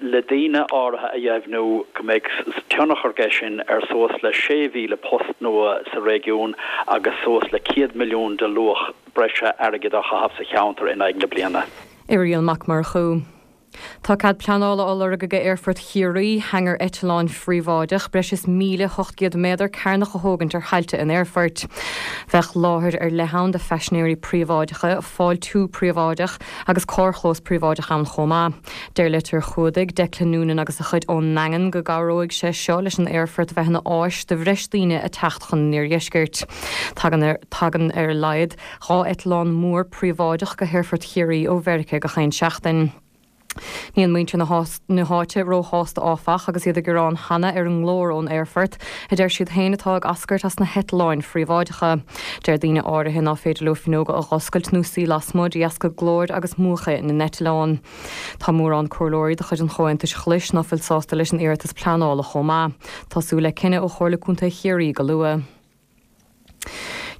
le daoine áirithe a dheimhniú go mbeidh tionchar aige sin ar suas le 6,000 post nua sa réigiún agus suas le 100 milliún de luach breise airgid á chaitheamh sa cheantar in aghaidh na bliana.
Irial Mac Murchú. Tá cead pleanála á lorg ag Aerfort Chiarraí, hangar eitleáin phríobháideach breis is 1,800 méadar cearnach a thógaint ar thailte an aerfoirt. Bheadh láthair ar leith ann do phaisinéirí príobháideacha, fáiltiú príobháideach agus carrchlós príobháideach ann chomh maith. Deir litir chumhdaigh Declan Noonan agus a chuid ón nDaingean go gcabhróidh sé seo leis an aerfort a bheith ina áis do bhreis daoine a teacht chun an iardheiscirt. Tagann tagann ar a laghad 2 eitleán mór príobháideach go hAerfort Chiarraí ó Mheiriceá gach aon seachtain. Níl muintir na háite róshásta áfach agus iad ag gearán cheana ar an nglór ón aerfort, a deir siad féin atá ag eascairt as na heitleáin phríobháideacha. Deir daoine áirithe ná féidir leo fuinneoga a dh'oscailt nó suí lasmuigh de dheasca glóir agus múchadh na n-eitleán. Tá mórán comhairleoirí de chuid an Chomhaontais Ghlais ná fuil sásta leis an iarratas pleanála chomh maith. Tá súil le cinneadh ó Chomhairle Contae Chiarraí go luath.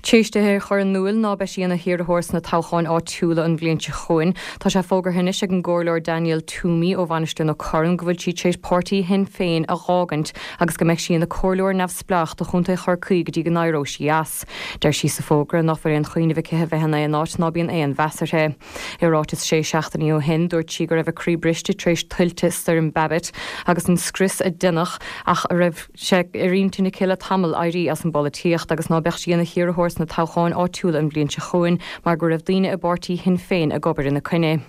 T'éis dithe a chur in iúil ná beidh sí ina hiarrthóir sna toghcháin áitiúla an bhliain seo chugainn, tá sé fógartha anois ag an gComhairleoir Danielle Twomey ó Mhainistir na Corann go bhfuil sí tar éis páirtí Shinn Féin a dh'fhágaint agus go mbeidh sí ina comhairleoir neamhspleách do Chontae Chorcaí go dtí go n-éireoidh sí as. Deir sí sa bhfógra ná fuil aon chuimhneamh aici a bheith in aon áit ná bíonn aon mheas uirthi. I ráiteas sé seachtainí ó shin, dúirt sí go raibh a croí briste tar éis tuilte Stoirm Babet agus an scrios a deineadh ach a raibh sé ar intinn aici le tamall éirí as an bpolaitíocht agus ná beadh sí ina hiarrthóir sna toghcháin áitiúla an bhliain seo chugainn mar go raibh daoine i bpáirtí Shinn Féin ag obair ina coinne.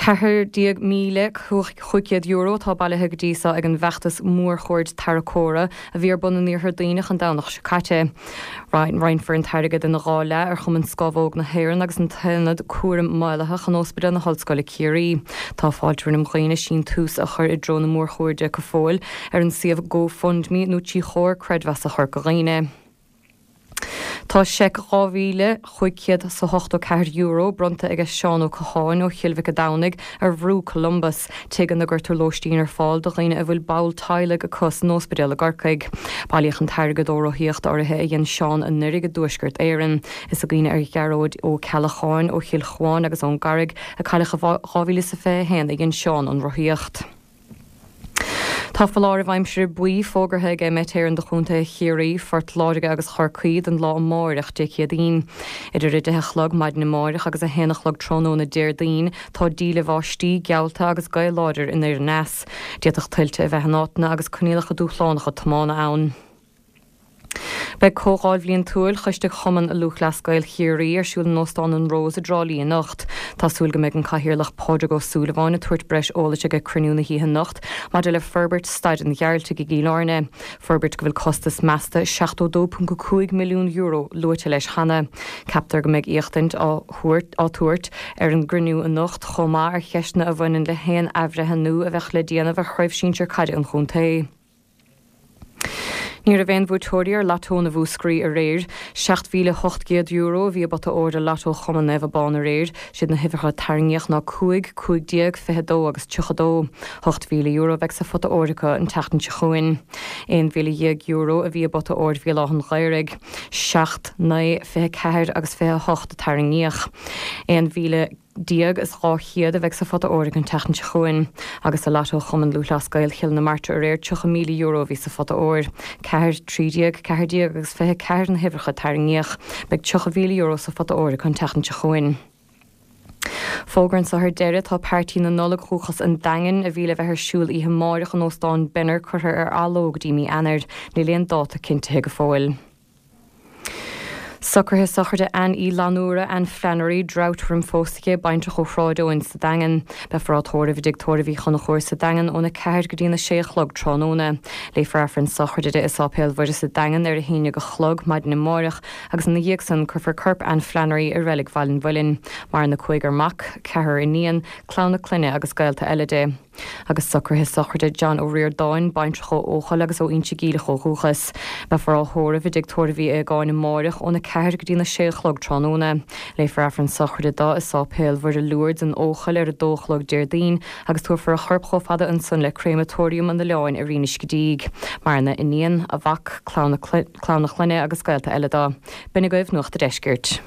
€14,500 atá bailithe go dtí seo ag an bhfeachtas mórchuaird tarracóra a bhí ar bun in Iarthar Duibhneach an Domhnach seo caite. Roinnfear an t-airgead ina dhá leath ar Chumann Scámhóg na hÉireann agus an tAonad Cúraim Maolaitheach in Ospidéal na hOllscoile Ciarraí. Tá fáilte roimh dhaoine síntiús a chur i dtreo na mórchuairde go fóill ar an suíomh GoFundMe nó trí Chomhar Creidmheasa Chorca Dhuibhne. Tá seic €2,584 bronnta aige Seán Ó Catháin ó Chill Mhic a' Domhnaigh ar Bhrú Columbus, tigh ina gcuirtear lóistín ar fáil do dhaoine a bhfuil ball teaghlaigh acu san óspidéal i gCorcaigh. Bailíodh an t-airgead ó rothaíocht áirithe a dhein Seán anuraidh i dTuaisceart Éireann. Is i gcuimhne ar Ghearóid Ó Ceallacháin ó Chill Chuáin agus ón gCarraig a cailleadh i 2021 a dhein Seán an rothaíocht. Tá foláireamh aimsire buí fógartha ag Met Éireann do chontaetha Chiarraí, Phort Láirge agus Chorcaí don lá amáireach, Dé Céadaoin. Idir 10 a chlog maidin amáireach agus 1 a chlog tráthnóna Déardaoin, tá díle bháistí geallta agus gaoth láidir anoir aneas. D'fhéadfadh tuilte a bheith in áiteanna agus coinníollacha dúshlánacha tiomána ann. Beidh Comhdháil Bhliantúil Choiste Chumann Lúthchleas Gael Chiarraí ar siúl in Óstán an Rose i dTrá Lí anocht. Tá súil go mbeidh an Cathaoirleach Pádraig Ó Súilleabháin ag tabhairt breis eolais ag cruinniú na hoíche anocht maidir le forbairt Staid an Ghearaltaigh i gCill Airne, forbairt go bhfuil costas measta €72.5 milliún luaite leis cheana. Ceaptar go mbeidh éachtaint á tabhairt ar an gcruinniú anocht chomh maith ar cheisteanna a bhaineann le haon athbhreithniú a bheadh le déanamh ar Chraobh Sinsir Caide an chontae. Ní raibh aon bhuaiteoirí ar Lotto na Mhúscraí aréir. €7,800 a bhí i bpota óir i Lotto Chumann Naomh Abán aréir. Siad na huimhreacha a tarraingíodh ná 5, 15, 22 agus 32. €8,000 a bheidh sa phota óir acu an tseachtain seo chugainn. €11,000 a bhí i bpota óir Bhéal Átha an Ghaorthaidh. 7, 9, 24 agus 28 a tarraingíodh. 11,200 a bheidh sa phota óir an tseachtain seo chugainn. Agus i Lotto Chumann Lúthchleas Gael Chill na Martra aréir, €30,000 a bhí sa phota óir. 4, 13, 14 agus 24 na huimhreacha a tarraingíodh. Beidh €30,000 sa phota óir acu an tseachtain seo chugainn. Fógra anseo ar deireadh, tá Pairtí na Nollag Dhúchas an Daingin, a bhí le bheith ar siúl oíche amáireach in Óstán Benner curtha ar athló go dtí mí Eanáir. Níl aon dáta cinntithe go fóill. Socruithe sochraide Anne Uí Fhlannúra, Anne Flannery, Drought roim phósadh di, baintreach ó Shráid Eoin sa Daingean. Beifear á tórramh i dTigh Tórraimh Uí Chonchúir sa Daingean óna 4 go dtí na 6 a chlog tráthnóna. Léifear Aifreann sochraide di i Sáipéal Mhuire sa Daingean ar a haon déag a chlog maidin amáireach agus ina dhiaidh san cuirfear corp Anne Flannery i Reilig Bhaile an Mhuilinn. Maireann a cúigear mac, ceathrar iníon, clann a clainne agus gaolta eile di. Agus socruithe sochraide John Ó Ríordáin, baintreach ó Eochaill agus ó Inse Geimhleach ó dhúchas. Beifear á thórramh i dTigh Tórraimh Uí Aogáin amáireach óna 4 go dtí na 6 a chlog tráthnóna. Léifear Aifreann sochraide do i Sáipéal Mhuire Lourdes in Eochaill ar a 2 a chlog Déardaoin agus tabharfar a chorp chomh fada ansan le Créamatóiriam an Oileáin ar Inis Gé Díg. Maireann a iníon, a mhac, clann a clainne agus gaolta eile do. B'in agaibh Nuacht a' Deiscirt.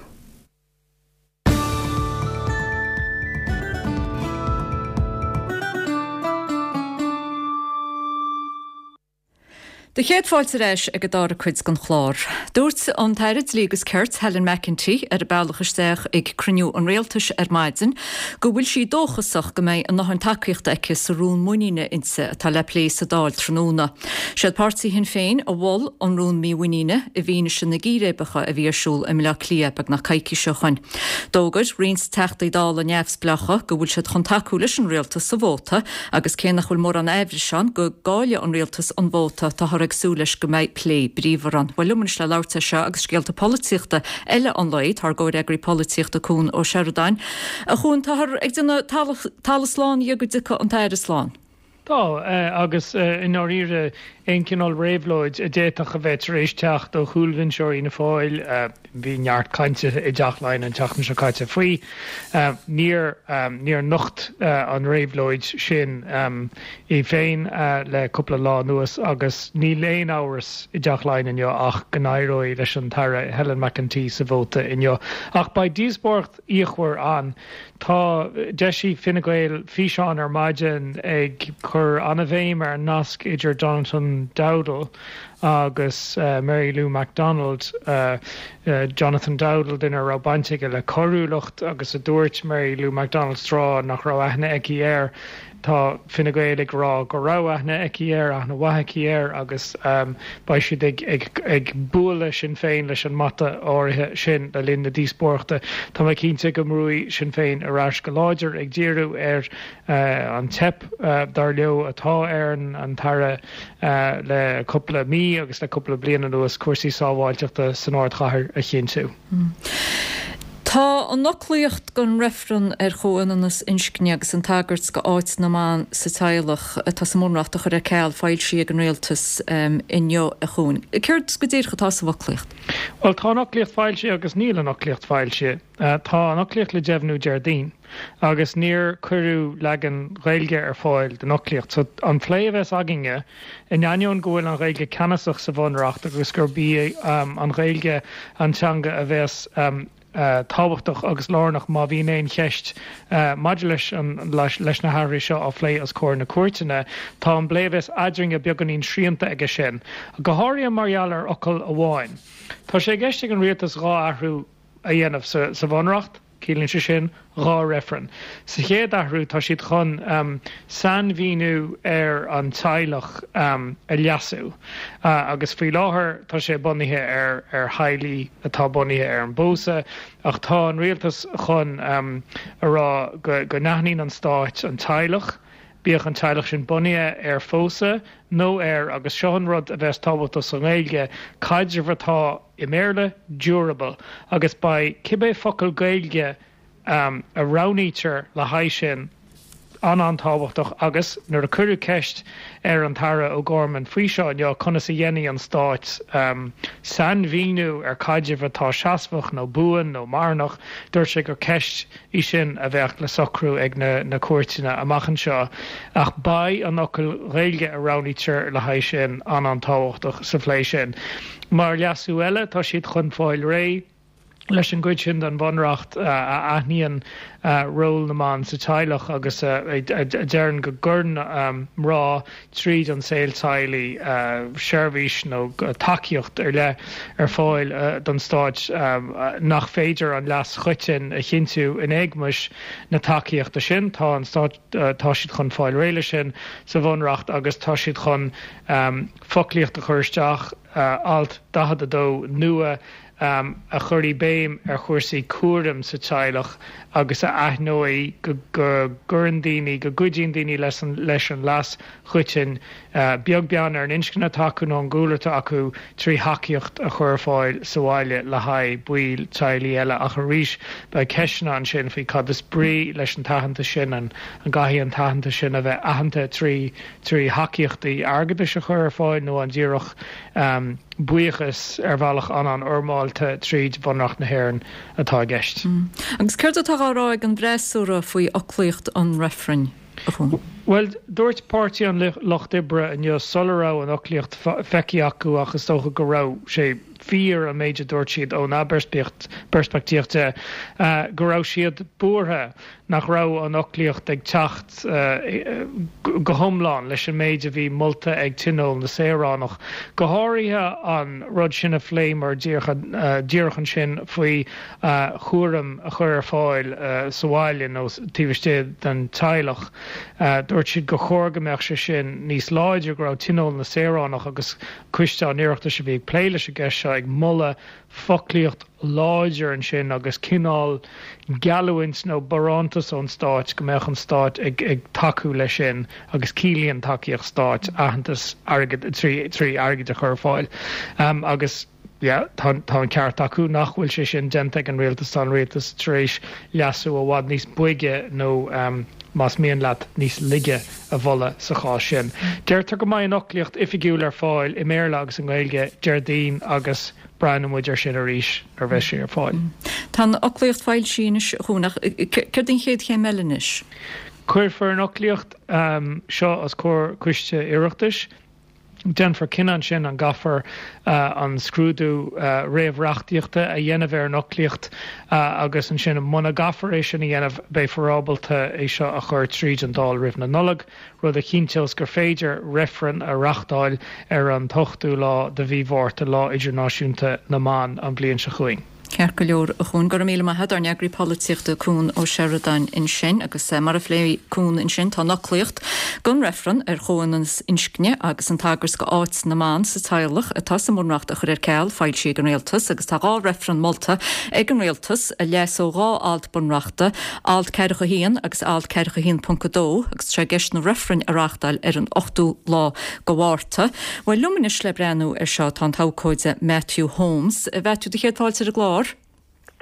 Do chéad fáilte ar ais ag an dara cuid den chlár. Dúirt an tAire Dlí agus Cirt, Helen McEntee, ar a bealach isteach ag cruinniú an Rialtais ar maidin go bhfuil sí dóchasach go mbeidh a ndóthain tacaíochta aici sa rún muiníne inti atá le plé sa Dáil tráthnóna. Siad páirtí Shinn Féin a mhol an rún mímhuiníne i bhfianaise na gcíréibeacha a bhí ar siúl i mBleá Cliath beagnach coicís ó shoin. D'fhógair roinnt Teachtaí Dála neamhspleácha go bhfuil siad chun tacú leis an Rialtas sa vóta agus cé nach bhfuil mórán aimhris ann go gcaillfidh an Rialtas an vóta táthar ag súil leis go mbeidh plé bríomhar ann. Bhuel liom anois le labhairt air seo agus scéalta polaitíochta eile an lae, tá ár gcomhfhreagraí polaitíochta Cuan Ó Seireadáin. A Chuain, táthar ag déanamh talamh slán dhe go dtiocfaidh an tAire slán.
Tá, agus i ndáiríre, aon chineál réabhlóid a d'fhéadfadh a bheith tar éis teacht ó chúlbhinseoirí Fhianna Fáil, bhí neart cainte i dTeach Laighean an tseachtain seo caite faoi, níor, níor nocht an réabhlóid sin í féin le cúpla lá anuas agus níl aon amhras i dTeach Laighean inniu ach go n-éireoidh leis an tAire Helen McEntee sa vóta inniu. Ach beidh díospóireacht fhíochmhar ann. Tá, d'eisigh Fine Gael físeán ar maidin ag cur an-bhéim ar an nasc idir Jonathan Dowdall agus Mary Lou McDonald. Jonathan Dowdall, duine a raibh baint aige le coiriúlacht agus a dúirt Mary Lou McDonald tráth nach raibh aithne aici air. Tá Fine Gael ag rá go raibh aithne aici air, aithne mhaith aici air agus beidh siad ag bualadh Sinn Féin leis an mbata áirithe sin le linn na díospóireachta. Tá mé cinnte go mbrúfaidh Sinn Féin ar ais go láidir ag díriú ar an teip, dar leo, atá ar an tAire le cúpla mí agus le cúpla bliain anuas cúrsaí sábháilteachta san ardchathair a chinntiú.
Tá an fhoclaíocht don reifreann ar chomhionannas inscne agus an tagairt go áit na mban sa teaghlach atá sa mBunreacht a chur ar ceal foilsithe ag an Rialtas inniu, a Chuain. Céard go díreach atá sa bhfoclaíocht?
Bhuel, tá an fhoclaíocht foilsithe agus níl an fhoclaíocht foilsithe. Tá an fhoclaíocht le deimhniú Déardaoin agus níor cuireadh leagan Gaeilge ar fáil den fhoclaíocht. So, an plé a bheas againne, In ainneoin go bhfuil an Ghaeilge ceannasach sa Bhunreacht agus gurb í an Ghaeilge an teanga a bheas tábhachtach agus lárnach má bhíonn aon cheist maidir leis leis na hathruithe seo á phlé os comhair na cúirteanna, tá an plé a bheas eadrainne beagáinín srianta aige sin, go háirithe mar gheall ar fhocal amháin. Tá sé i gceist ag an Rialtas 2 athrú a dhéanamh sa Bhunreacht. Ciallaíonn sé sin 2 reifreann. Sa chéad athrú, tá siad chun sainmhíniú ar an teaghlach a leasú agus faoi láthair tá sé bunaithe ar ar theaghlaigh atá bunaithe ar an bpósadh ach tá an rialtas chun a rá go go n-aithníonn an stáit an teaghlach, bíodh an teaghlach sin bunaithe ar phósadh nó ar, agus seo an rud a bheas tábhachtach sa nGaeilge, caidreamh atá i mBéarla, durable, agus beidh cibé focal Gaeilge a roghnaítear le haghaidh sin an-an-tábhachtach agus nuair a cuireadh ceist ar an tAire O'Gorman faoi seo inniu, conas a dhéanfaidh an Stát sainmhíniú ar caidreamh atá seasmhach nó buan nó marthanach, dúirt sé gur ceist í sin a bheadh le socrú ag na cúirteanna amach anseo ach beidh an fhocal Ghaeilge a roghnaítear le haghaidh sin an-an-tábhachtach sa phlé sin. Mar leasú eile, tá siad chun fáil réidh leis an gcuid sin den Bhunreacht a aithníonn ról na mban sa teaghlach agus a deireann go gcuireann mná tríd an saol teaghlaigh seirbhís nó tacaíocht ar leith ar fáil don stát nach féidir an leas choiteann a chinntiú in éagmais na tacaíochta sin. Tá an stát, tá siad chun fáil réidh leis sin sa Bhunreacht agus tá siad chun foclaíocht a chur isteach, Alt 42 nua, a chuirfidh béim ar chúrsaí cúraim sa teaghlach agus a aithneoidh go gcuireann daoine, go gcuidíonn daoine leis an leas choiteann, beag beann ar an inscne atá acu nó an gcúlra atá acu, trí thacaíocht a chur ar fáil sa bhaile le haghaidh baill teaghlaigh eile. Ach arís, beidh ceisteanna ansin faoi cad is brí leis an t-aitheantas sin, an gcaithfidh an t-aitheantas sin a bheith aitheanta trí thacaíochtaí airgeadais a chur ar fáil nó an díreach buíochas ar bhealach an-an-fhoirmeálta tríd Bhunreacht na hÉireann atá i gceist.
Agus céard atá á rá ag an bhfreasúra faoi fhoclaíocht an reifrinn, a Chuain?
Bhuel, dúirt Páirtí an Lucht Oibre inniu sula raibh an fhoclaíocht feicthe acu ach is dócha go raibh sé fíor an méid a dúirt siad óna bpeirspictíocht de, go raibh siad buartha nach raibh an fhoclaíocht ag teacht go hiomlán leis an méid a bhí molta ag Tionól na Saoránach, go háirithe an rud sin a phléamar díreach ansin faoi chúram a chur ar fáil sa bhaile nó taobh istigh den teaghlach. Dúirt siad gur chóir go mbeadh sé sin níos láidre, go raibh Tionól na Saoránach agus Coiste an Oireachtais a bhí ag plé leis an gceist seo ag moladh foclaíocht láidir ansin agus cineál geallúint nó barántas ón stáit go mbeadh an stát ag tacú leis sin agus ciallaíonn tacaíocht stáit aitheantas airgid trí airgead a chur ar fáil agus yeah tá an ceart acu nach bhfuil sé sin déanta ag an rialtas, tá an rialtas tar éis leasú i bhfad níos boige nó más mian leat níos laige a mholadh sa chás sin. Deirtear go mbeidh an fhoclaíocht oifigiúil ar fáil i mBéarla agus i nGaeilge Déardaoin agus breathnóidh muid air sin arís nuair a bheas sé ar fáil.
Tá an fhoclaíocht foilsithe anois, a Chuain, ach céard an chéad chéim eile anois?
Cuirfear an fhoclaíocht seo os comhair Coiste Oireachtais. Déanfar cinneadh ansin an gcaithfear an scrúdú réamhreachtaíochta a dhéanamh ar an fhoclaíocht agus ansin muna gcaithfear é sin a dhéanamh beifear ábalta é seo a chur tríd an Dáil roimh na Nollag. rud a chinnteos gur féidir reifreann a reachtáil ar an t-ochtú lá de mhí Mhárta, Lá Idirnáisiúnta na mBan, an bhliain seo chugainn.
Ceart go leor, a Chuain. Go raibh míle maith agat, ár n-eagraí polaitíochta Cuan Ó Seireadáin ansin. Agus mar a phléigh Cuan ansin, tá an fhoclaíocht don reifreann ar chomhionannas inscne agus an tagairt go áit na mban sa teaghlach atá sa mBunreacht a chur ar ceal foilsithe ag an Rialtas agus tá 2 reifreann molta ag an Rialtas a leasódh 2 alt Bunreachta, Alt 41 agus Alt 41.2, agus tá sé i gceist na reifrinn a reáchtáil ar an 8ú lá de Mhárta. Bhuel, liom anois le breathnú ar seo tá an t-abhcóide Matthew Holmes. A Mhaitiú, do chéad fáilte ar an gclár.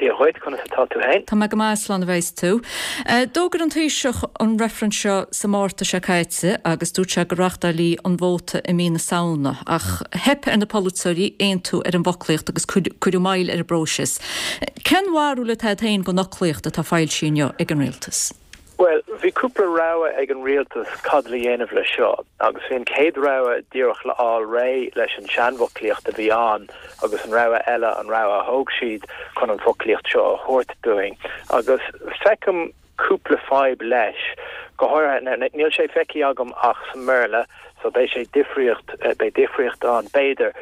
Dia dhuit, conas atá tú fhéin?
Tá mé go maith, slán a bheas tú. D'fhógair an Taoiseach an reifreann seo sa Márta seo caite agus dúirt sé go reáchtálfaí an vóta i mí na Samhna, ach theip ar na polaiteoirí aontú ar an bhfoclaíocht agus cuireadh moill ar an bpróiseas. Cén bharúil atá agat féin den fhoclaíocht atá foilsithe inniu ag an Rialtas?
Bhuel, bhí cúpla rogha ag an rialtas cad le dhéanamh leis seo, agus bhí an chéad rogha díreach le fháil réidh leis an seanfhoclaíocht a bhí ann agus an rogha eile an rogha a thóg siad chun an foclaíocht seo a thabhairt dúinn. Agus feicim cúpla fadhb leis, go háirithe, níl sé feicthe agam ach sa mBéarla, so beidh sé difríocht, beidh difríocht ann b'fhéidir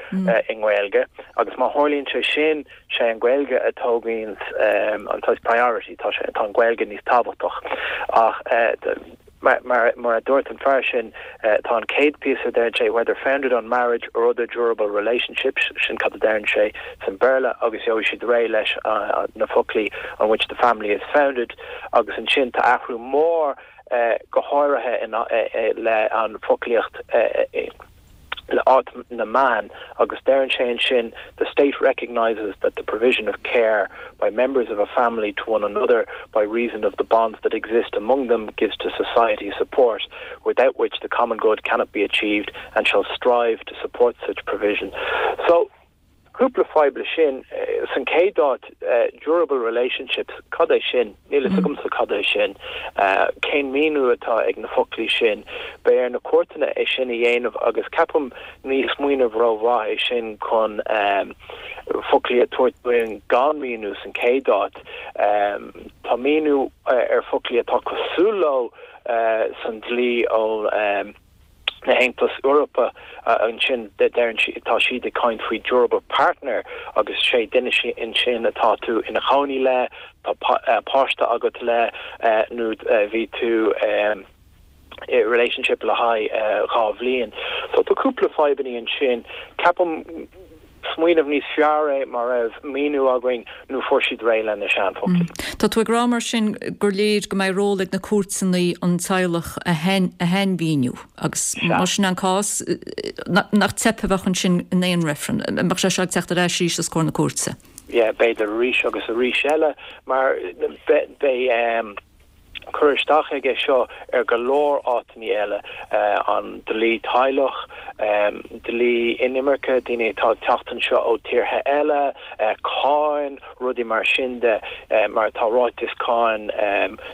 i nGaeilge, agus má tharlaíonn sé sin, sé an Ghaeilge a tógaíonn an saghas priority, tá sé, tá an Ghaeilge níos tábhachtach. Ach mar, mar, mar a dúirt an fear sin, tá an chéad píosa, deireann sé, whether founded on marriage or other durable relationships, sin cad a deireann sé san Béarla, agus gheobhaidh siad réidh leis na foclaí on which the family is founded, agus ansin tá athrú mór go háirithe le an foclaíocht le áit na mban agus deireann sé ansin the state recognises that the provision of care by members of a family to one another by reason of the bonds that exist among them gives to society support without which the common good cannot be achieved and shall strive to support such provision. So Cúpla fadhb le sin. San chéad áit, durable relationships, cad é sin? Níl fhios agamsa cad é sin. Cén míniú atá ag na foclaí sin? Beidh ar na cúirteanna é sin a dhéanamh agus ceapaim ní smaoineamh rómhaith é sin chun foclaí a tabhairt dúinn gan míniú san chéad áit. Tá míniú ar foclaí atá cosúil leo san dlí ó na hAontas Eorpa ansin deireann siad, tá siad ag caint faoi durable partner agus sé duine ansin atá tú ina chónaí le, tá páiste agat le nó bhí tú i relationship le haghaidh 2 bhliain. So tá cúpla fadhbannaí ansin. Ceapaim smaoineamh níos fearr é má raibh míniú againn nó fuair siad réidh le na seanfhoclaí.
Tá tú ag rá mar sin gur léir go mbeidh ról ag na cúirteanna an teaghlach a shainmhíniú agus más sin an cás, nach teip a bheadh ansin in aon reifreann, an mbeadh sé seo ag teacht ar ais arís os comhair na cúirte?
Yeah, b'fhéidir arís agus arís eile mar beidh. cur isteach aige seo ar go leor áiteanna eile, an dlí teaghlach, dlí inimirce, daoine atá ag teacht anseo ó tíortha eile, cáin, rudaí mar sin de, mar tá ráiteas cáin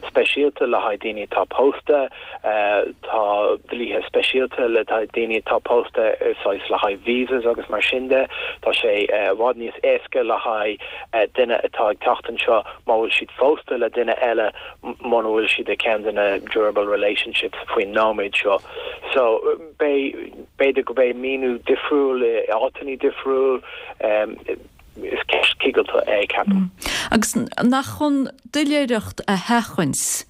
speisialta le haghaidh daoine atá pósta, tá dlíthe speisialta le haghaidh daoine atá pósta, saghas le haghaidh visas agus mar sin de. Tá sé i bhfad níos éasca le haghaidh duine atá ag teacht anseo má bhfuil siad phósta le duine eile muna bhfuil siad i ceann de na durable relationships faoin nóiméad seo. So beidh, b'fhéidir go beidh míniú difriúil i áiteanna difriúil, is ceist cigilte é, ceapaim.
Agus nach chun doiléireacht a sheachaint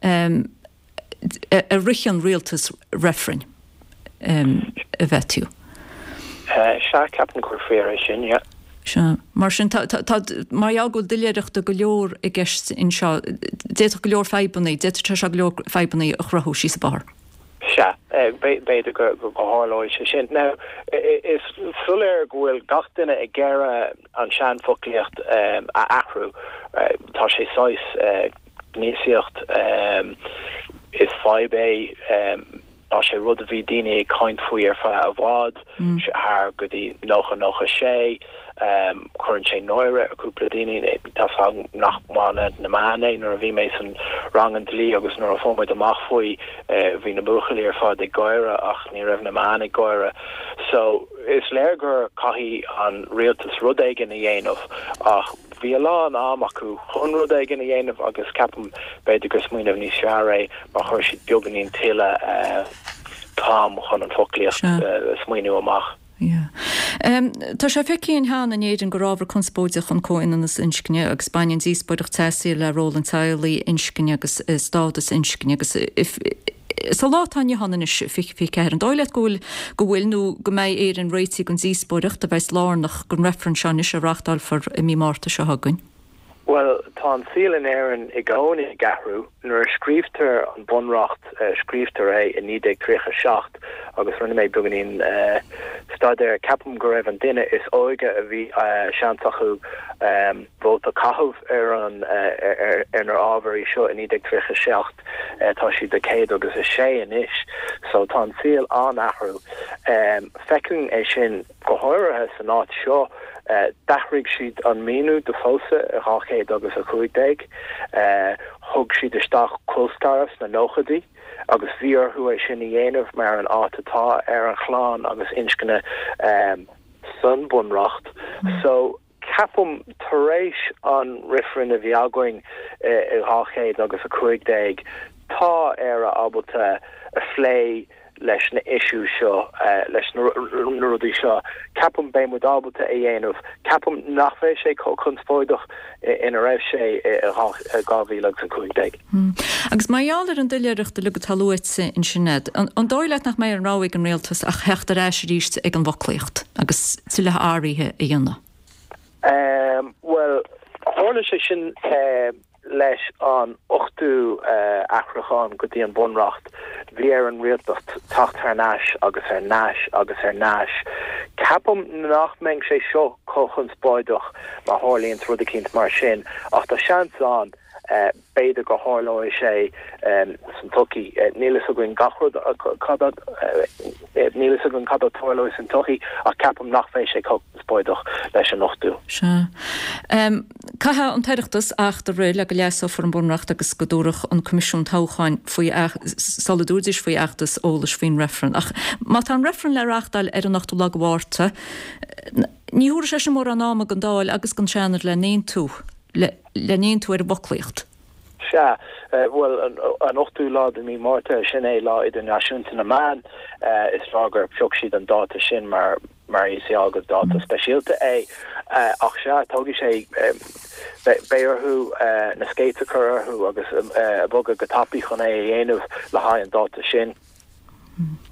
a ritheann an rialtas reifrinn, a Mhaitiú.
Sea, ceapaim gur fíor é sin, yeah.
Sea. Mar sin, tá, tá, mar gheall go bhfuil doiléireachta go leor i gceist anseo, d'fhéadfadh go leor fadhbanna, d'fhéadfadh sé seo go leor fadhbanna a chruthú síos an bóthar.
Sea, b'fhéidir go tharlóidh sé sin. Now, is soiléir go bhfuil gach duine ag iarraidh an seanfhoclaíocht a athrú. Tá sé saghas gnéasaíocht, is fadhb é, tá sé rud a bhí daoine ag caint faoi ar feadh i bhfad, thar go dtí 90, 96, cuireann sé náire ar cúpla daoine, tá 's agam nach maith le na meáin é, nuair a bhí mé san rang an dlí agus nuair a fuair muid amach faoi, bhí na buachaillí ar fad ag gáire ach ní raibh na meáin ag gáire. So, is léir gur caithfidh an rialtas rud éigin a dhéanamh ach, Bhí a lán am acu chun rud éigin a dhéanamh agus ceapaim b'fhéidir gur smaoineamh níos fearr é má chuir siad beagáinín tuilleadh t-am chun an foclaíocht a smaoineamh amach.
Tá sé feicthe againn cheana in Éirinn gur ábhar conspóideach an comhionannas inscne agus baineann díospóireacht teasaí le ról an teaghlaigh, inscne agus stádas inscne agus Sa lá atá inniu ann anois, 2024, an dóigh leat go bhfuil, go bhfuil nó go mbeidh Éirinn réitithe don díospóireacht a bheas lárnach don reifreann seo anois a reáchtálfar i mí Márta seo chugainn?
Bhuel, tá an saol in Éirinn i gcónaí ag athrú. Nuair a scríobhtar an Bunreacht, scríobhtar é i 1937 agus rinne mé beagáinín staidéir, ceapaim go raibh an duine is óige a bhí seans acu vóta a chaitheamh ar an ar na ábhairí seo i 1937. Tá siad 100 agus 6 anois so tá an saol an-athrú. Feicim é sin go háirithe san áit seo. D'athraigh siad an míniú do phósadh i 200 agus 15. Thug siad isteach colscaradh sna nóchaidí agus bhí orthu é sin a dhéanamh mar an áit atá ar an chlann agus inscne san Bunreacht. So. Ceapaim, tar éis an reifrinn a bhí againn i 200 agus 15, tá Éire ábalta a phlé leis na issues seo, leis na rudaí seo. Ceapaim beidh muid ábalta a dhéanamh. Ceapaim nach bheidh sé chomh conspóideach ina raibh sé i 2015.
Agus mar gheall ar an doiléireacht uilig atá luaite ansin a'd, an dóigh leat nach mbeidh aon rogha ag an rialtas ach theacht ar ais arís ag an bhfoclaíocht agus tuilleadh athruithe a dhéanamh?
Bhuel, tharla sé sin leis an ochtú athrúchán go dtí an Bunreacht. Bhí ar an rialtas teacht thar n-ais agus ar n-ais agus ar n-ais. Ceapaim nach mbeidh sé seo chomh conspóideach má tharlaíonns rud eicínt mar sin, ach tá seans ann. B'fhéidir go tharlóidh sé san tsochaí. Níl fhios againn gach rud cad a níl fhios againn cad a tarlóidh san tsochaí ach ceapaim nach bheidh sé chomh conspóideach leis an ochtú.
Sea. Caithfidh an tOireachtas acht a rith le go leasófar an Bunreacht agus go dtabharfadh an Coimisiún Toghcháin faoi sula dtabharfaidís faoi fheachtas eolais faoin reifreann. Ach má tá an reifreann le reáchtáil ar an ochtú lá de Mhárta, ní thabharfaidh sé sin mórán ama don Dáil agus don Seanad le n-aontú. le n-aontú ar an bhfoclaíocht.
Sea, bhuel, an 8ú lá de mí Márta, sin é Lá Idirnáisiúnta na mBan. Is fearr gur phioc siad an dáta sin mar mar is eol gur dáta speisialta é. Ach sea, tógfaidh sé, beidh orthu na skates a chur orthu agus bogadh go tapaidh chun é a dhéanamh le haghaidh an dáta sin.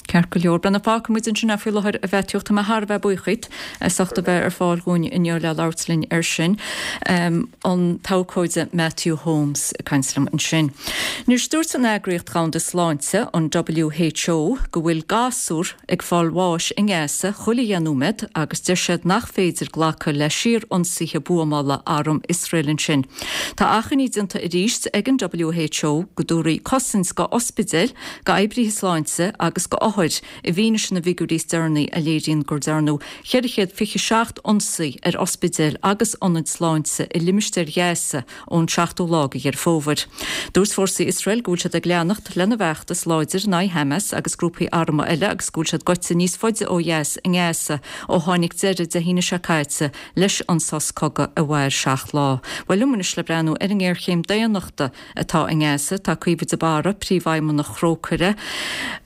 Ceart go leor. Bhuel, fágfaidh muid ansin é faoi láthair a Mhaitiú. Tá mé thar a bheith buíoch díot as ucht a bheith ar fáil dhúinn inniu le labhairt linn air sin. An t-abhcóide Matthew Holmes ag caint liom ansin. Anois dúirt an Eagraíocht Dhomhanda Sláinte, an WHO, go bhfuil gasúr ag fáil bháis i nGaza chuile dheich nóiméad agus deir siad nach féidir glacadh le síor-ionsaithe buamála arm Iosrael ansin. Tá achainí déanta arís ag an WHO go dtabharfaí cosaint go ospidéil, go oibrithe sláinte agus go othair i bhfianaise na bhfigiúirí is deireanaí a léiríonn gur dearnadh 427 ionsaí ar ospidéil agus ionaid sláinte i limistéar Ghaza ón 7ú lá de Dheireadh Fómhair. Dúirt fórsaí Iosrael go bhfuil siad ag leanacht lena bhfeachtas láidir in aghaidh Hamas agus grúpaí armtha eile agus go bhfuil siad gaibhte níos faide ó dheas i nGaza ó tháinig deireadh Dé hAoine seo caite leis an sos cogaidh a mhair seacht lá. Bhuel liom anois le breathnú ar an ngéarchéim daonnachta atá i nGaza. Tá Caoimhe de Barra, Príomhfheidhmeannach Thrócaire.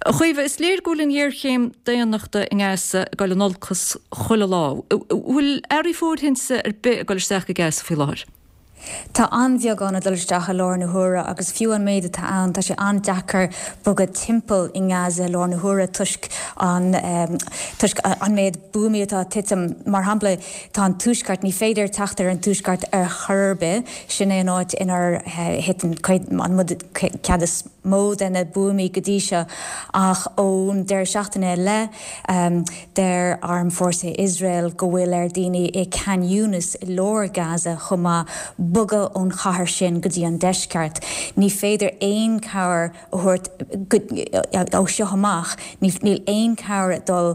A Chaoimhe, is léir go bhfuil an ghéarchéim daonnachta i nGaza ag dul in olcas chuile lá. An bhfuil earraí fóirithinte ar bith ag dul isteach go Gaza faoi láthair?
Tá an-bheagán ag dul isteach i láthair na huaire agus fiú an méid atá ann tá sé an-deacair bogadh timpeall i nGaza i láthair na huaire toisc an toisc an méid buamaí atá ag titim. Mar shampla, Tá an Tuaisceart, ní féidir teacht ar an Tuaisceart ar chor ar bith, sin é an áit inar thit an cead is mó de na buamaí go dtí seo, ach ón deireadh seachtaine i leith, deir Armfhórsaí Iosrael go bhfuil ar daoine i Khan Younis i lár Gaza chomh maith bogadh ón chathair sin go dtí an deisceart. Ní féidir aon chabhair a thabhairt ó seo amach, níl aon chabhair ag dul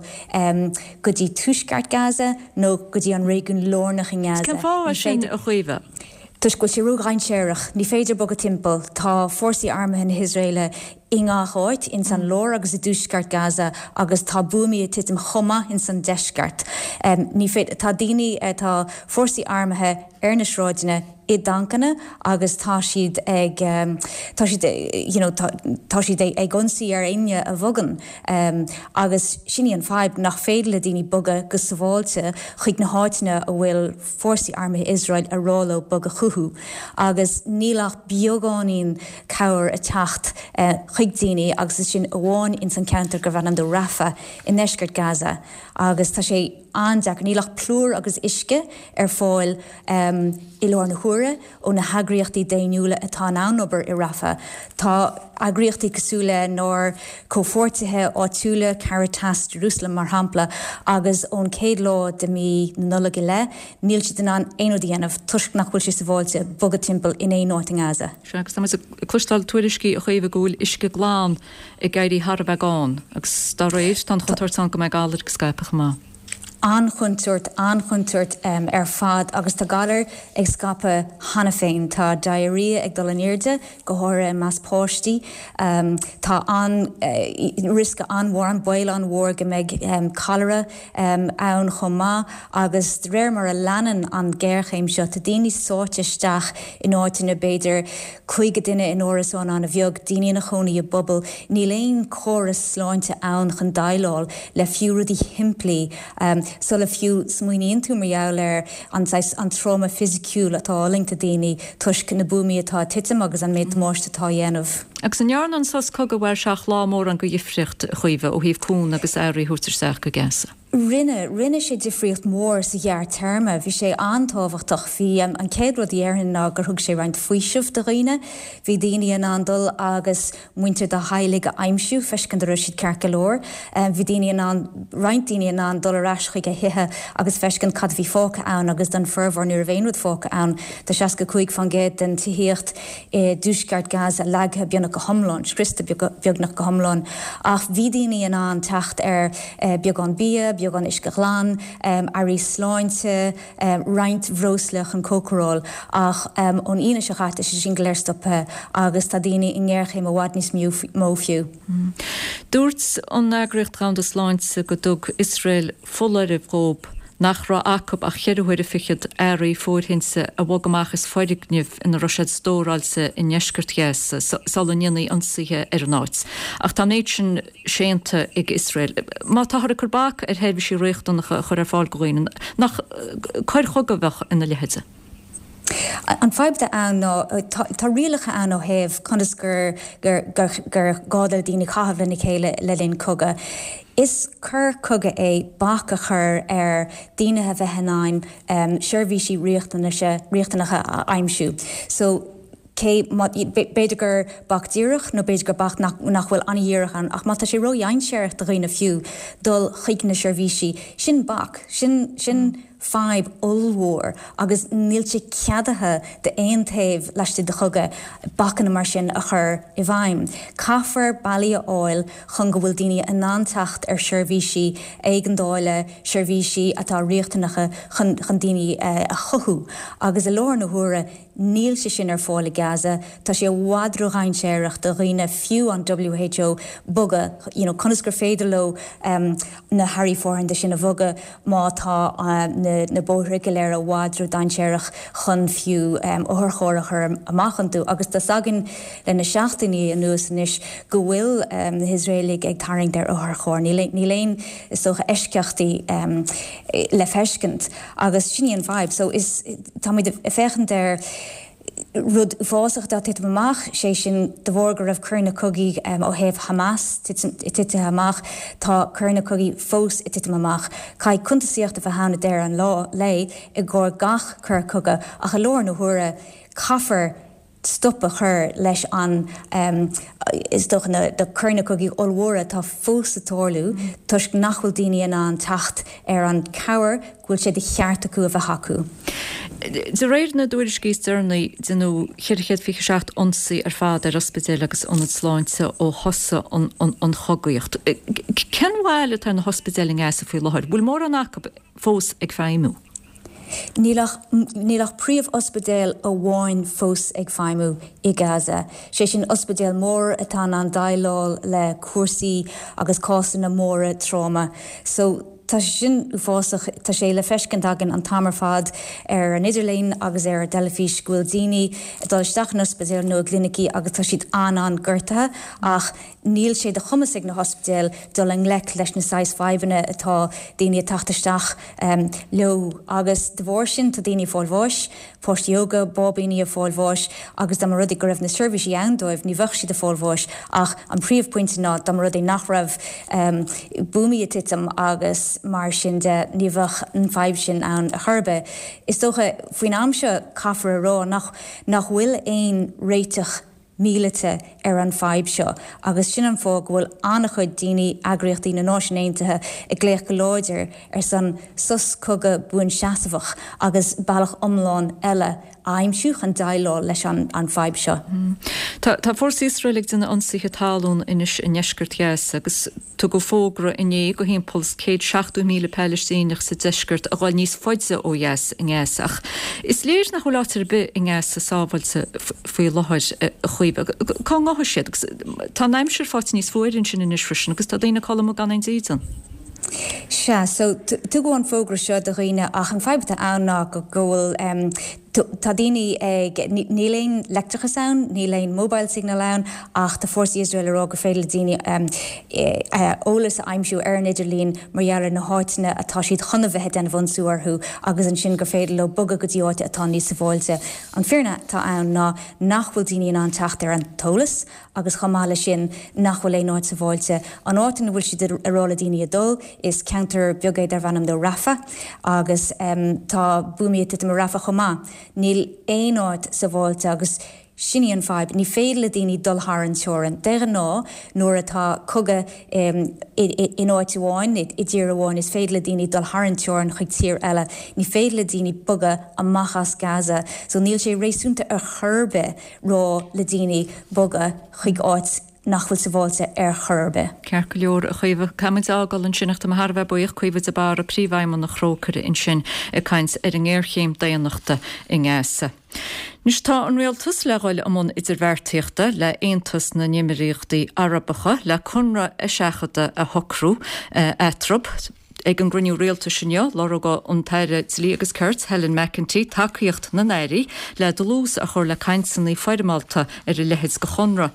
go dtí tuaisceart Gaza nó go dtí an réigiún lárnach i nGaza.
Cén fáth é sin, a Chaoimhe?
Toisc go bhfuil sé ródhainséarach. Ní féidir bogadh timpeall. Tá fórsaí armtha na hIosraeile i ngach áit, ins an lár agus i dtuaisceart Gaza agus tá buamaí ag titim chomh maith ins an deisceart. Ní féidir, tá daoine, tá fórsaí armtha ar na sráideanna i dtancanna agus tá siad ag, tá siad, you know, tá, tá siad ag ionsaí ar éinne a bhogann agus sin í an fadhb, nach féidir le daoine bogadh go sábháilte chuig na háiteanna a bhfuil fórsaí armtha Iosrael a rá leo bogadh chucu agus níl ach beagáinín cabhair ag teacht chuig daoine agus is sin amháin ins an ceantar gurbh ainm dó Rafah i ndeisceart Gaza agus tá sé an-deacair. Níl ach plúr agus uisce ar fáil i láthair na huaire ó na heagraíochtaí daonnúla atá in ann obair i Rafah. Tá eagraíochtaí cosúil lenár comhpháirtithe áitiúla, Caritas Jerusalem mar shampla, agus ón chéad lá de mhí na Nollag i leith, níl siad in ann aon rud a dhéanamh toisc nach bhfuil sé sábháilte bogadh timpeall in aon áit i nGaza.
Sea, agus tá muid ag cloisteáil tuairiscí, a Chaoimhe, go bhfuil uisce glan ag éirí thar a bheith gann agus dá réir, tá an chontúirt ann go mbeidh galair ag scaipeadh chomh maith.
An-chontúirt, an-chontúirt ar fad agus tá galair ag scaipeadh cheana féin. Tá diarrhea ag dul in airde, go háirithe i measc páistí. Tá an riosca an-mhór, an baol an-mhór go mbeidh cholera ann chomh maith agus de réir mar a leanann an ghéarchéim seo, tá daoine sáite isteach in áiteanna b'fhéidir 50 duine in árasán an-bheag, daoine ina chónaí i bpubaill. Níl aon chóras sláinte ann chun déileáil le fiú rudaí shimplí sula fiú smaoiníonn tú mar gheall ar an saghas, an tráma fisiciúil atá á fhulaingt ag daoine toisc na buamaí atá ag titim agus an méid damáiste atá á dhéanamh.
Agus an ndearna an sos cogaidh a mhair seacht lá mórán de dhifríocht, a Chaoimhe, ó thaobh cúnamh agus earraí a thabhairt isteach go Gaza?
Rinne. Rinne sé difríocht mhór sa ghearrtéarma. Bhí sé an-tábhachtach. Bhí, an chéad rud a dhéarfainn ná gur thug sé roinnt faoisimh do dhaoine. Bhí daoine in ann dul agus muintir dá theaghlaigh a aimsiú, feiscint an raibh siad ceart go leor. Bhí daoine in ann, roinnt daoine in ann dul ar ais chuig a thithe agus feiscint cad a bhí fágtha ann agus don formhór ní raibh aon rud fágtha ann. Tá 65% den tithíocht i dtuaisceart Gaza leagtha beagnach go hiomlán, scriosta beagnach go hiomlán. Ach bhí daoine in ann teacht ar beagán bia, beagán uisce ghlan, earraí sláinte, roinnt bhreosla chun cócaráil. Ach ón Aoine seo chaite, tá sé sin go léir stoptha agus tá daoine i ngéarchéim i bhfad níos mó fiú.
Dúirt an Eagraíocht Dhomhanda Sláinte go dtug Iosrael foláireamh dhóibh. nach raibh acu ach cheithre huaire fichead earraí fóirthinte a bhogadh amach as foirgnimh ina raibh siad stóráilte i ndeisceart Ghaza sula ndéanfaí ionsaithe ar an áit. Ach tá an méid sin séanta ag Iosrael. Má táthar ag cur bac ar sheirbhísí riachtanacha a chur ar fáil do dhaoine, nach coir chogaidh a bheadh ina leithéid?
An fadhb atá ann ná tá rialacha ann ó thaobh conas gur gur gá do daoine caitheamh lena chéile le linn cogadh. Is coir cogaidh é bac a chur ar daoine a bheith in ann seirbhísí riachtanacha a aimsiú. So cé b'fhéidir gur bac díreach nó b'fhéidir gur bac nach bhfuil an-dhíreach ann ach má tá sé ródhainséarach do dhaoine fiú dul chuig na seirbhísí, sin bac, sin sin. fadhb ollmhór agus níl sé ceadaithe d'aon taobh laistigh de chogadh bacanna mar sin a chur i bhfeidhm. Caithfear bealaí a fháil chun go bhfuil daoine in ann teacht ar sheirbhísí éigeandála, seirbhísí atá riachtanacha chun chun daoine a chothú agus i láthair na huaire níl sé sin ar fáil i Gaza. Tá sé i bhfad ródhainséarach do dhaoine, fiú an WHO, bogadh, you know conas gur féidir leo na hearraí fóirithinte sin a bhogadh má tá na bóithre go léir i bhfad ródhainséarach chun fiú otharcharr a chur amach iontu. Agus tá's againn le na seachtainí anuas anois go bhfuil na hIosraelaigh ag tarraingt ar otharchairr. Níl aon, is dócha, eisceachtaí le feiscint. Agus sin í an fhadhb. So is, táimid ag féachaint ar rud uafásach atá ag titim amach, sé sin de bharr go raibh coireanna cogaidh ó thaobh Hamas titithe amach, tá coireanna cogaidh fós ag titim amach. Caithfidh cuntasaíocht a bheith ann ag deireadh an lae i gcomhair gach coir cogaidh ach i láthair na huaire caithfear stop a chur leis an, is dócha, na coireanna cogaidh ollmhóra atá fós ag tarlú toisc nach bhfuil daoine in ann teacht ar an cabhair go bhfuil sé de cheart acu a bheith acu.
De réir na dtuairiscí is deireanaí, deineadh 427 ionsaí ar fad ar ospidéil agus ionaid sláinte ó thosaigh an chogaíocht. Cén bhail atá ar na hospidéil i nGaza faoi láthair? Bhfuil mórán acu fós ag feidhmiú?
Níl ach níl ach príomh-ospidéal amháin fós ag feidhmiú i Gaza, sé sin ospidéal mór atá in ann déileáil le cúrsaí agus cásanna móra tráma. So, tá sé sin uafásach. Tá sé le feiscint againn an t-am ar fad ar an idirlíon agus ar an dteilifís go bhfuil daoine ag dul isteach in ospidéil nó i gclinicí agus tá siad an-an-gortaithe ach Níl sé de chumas ag na hospidéil dul i ngleic leis na saghas fadhbanna atá daoine ag teacht isteach leo agus de bharr sin tá daoine ag fáil bháis, páistí óga, báibíní ag fáil bháis agus dá mba rud é go raibh na seirbhísí ann dóibh ní bheadh siad ag fáil bháis ach an príomhphointe ná dá mba rud é nach raibh buamaí ag titim agus mar sin de ní bheadh an fadhb sin ann ar chor ar bith. Is dócha faoin am seo caithfear a rá nach nach bhfuil aon réiteach míleata ar an fadhb seo agus sin an fáth go bhfuil an-chuid daoine, eagraíochtaí na Náisiún Aontaithe ag glaoch go láidir ar son sos cogaidh buanseasmhach agus bealach iomlán eile a aimsiú chun déileáil leis an fadhb seo.
Tá fórsaí Iosrael ag déanamh ionsaithe talún anois i ndeisceart Ghaza agus Tugadh fógra inné do thimpeall is 170,000 Palaistíneach sa deisceart a dhul níos faide ó dheas i nGaza ach is léir nach bhfuil áit ar bith i nGaza sábháilte faoi láthair, a Chaoimhe. Cá ngabhfaidh siad? Agus tá an aimsir faighte níos fuaire ansin anois freisin agus tá daoine ag codladh amuigh gan aon dídean.
Sea, so tugadh an fógra seo do dhaoine ach an fadhb atá ann ná go bhfuil Tá daoine ag, níl aon leictreachas ann, níl aon mobile signal ann ach tá fórsaí Iosrael ag rá gur féidir le daoine eolas a aimsiú ar an idirlíon mar gheall ar na háiteanna atá siad chun a bheith ag déanamh ionsú orthu agus ansin gur féidir leo bogadh go dtí áit atá níos sábháilte. An fírinne atá ann ná nach bhfuil daoine in ann teacht ar an t-eolas agus chomh maith leis sin nach bhfuil aon áit sábháilte. An áit ina bhfuil siad ag rá le daoine a dul, is ceantar beag é darb ainm dó Rafah agus tá buamaí ag titim i Rafah chomh maith. Níl aon áit sábháilte agus sin í an fadhb, ní féidir le daoine dul thar an teorainn. De ghnáth nuair atá cogadh in áit amháin, i dtír amháin, is féidir le daoine dul thar an teorainn chuig tír eile. Ní féidir le daoine bogadh amach as Gaza so níl sé réasúnta ar chor ar bith rá le daoine bogadh chuig áit nach bhfuil sabháilte ar chor ar bith.
Ceart go leor, a Chaoimhe. Caithfidh muid a fhágáil ansin ach tá mé thar a bheith buíoch, Caoimhe de Barra, Príomhfheidhmeannach Thrócaire ansin ag caint ar an ngéarchéim daonnachta i nGaza. Anois tá an Rialtas le dhul i mbun idirbheartaíochta le Aontas na nÉimíríochtaí Arabacha le conradh eiseachadta a shocrú eatarthu. Ag an gcruinniú rialtais inniu, lorgóidh an tAire Dlí agus Cirt, Helen McEntee, tacaíocht na n-airí le dlús a chur le cainteanna foirmeálta ar a leithéid de chonradh.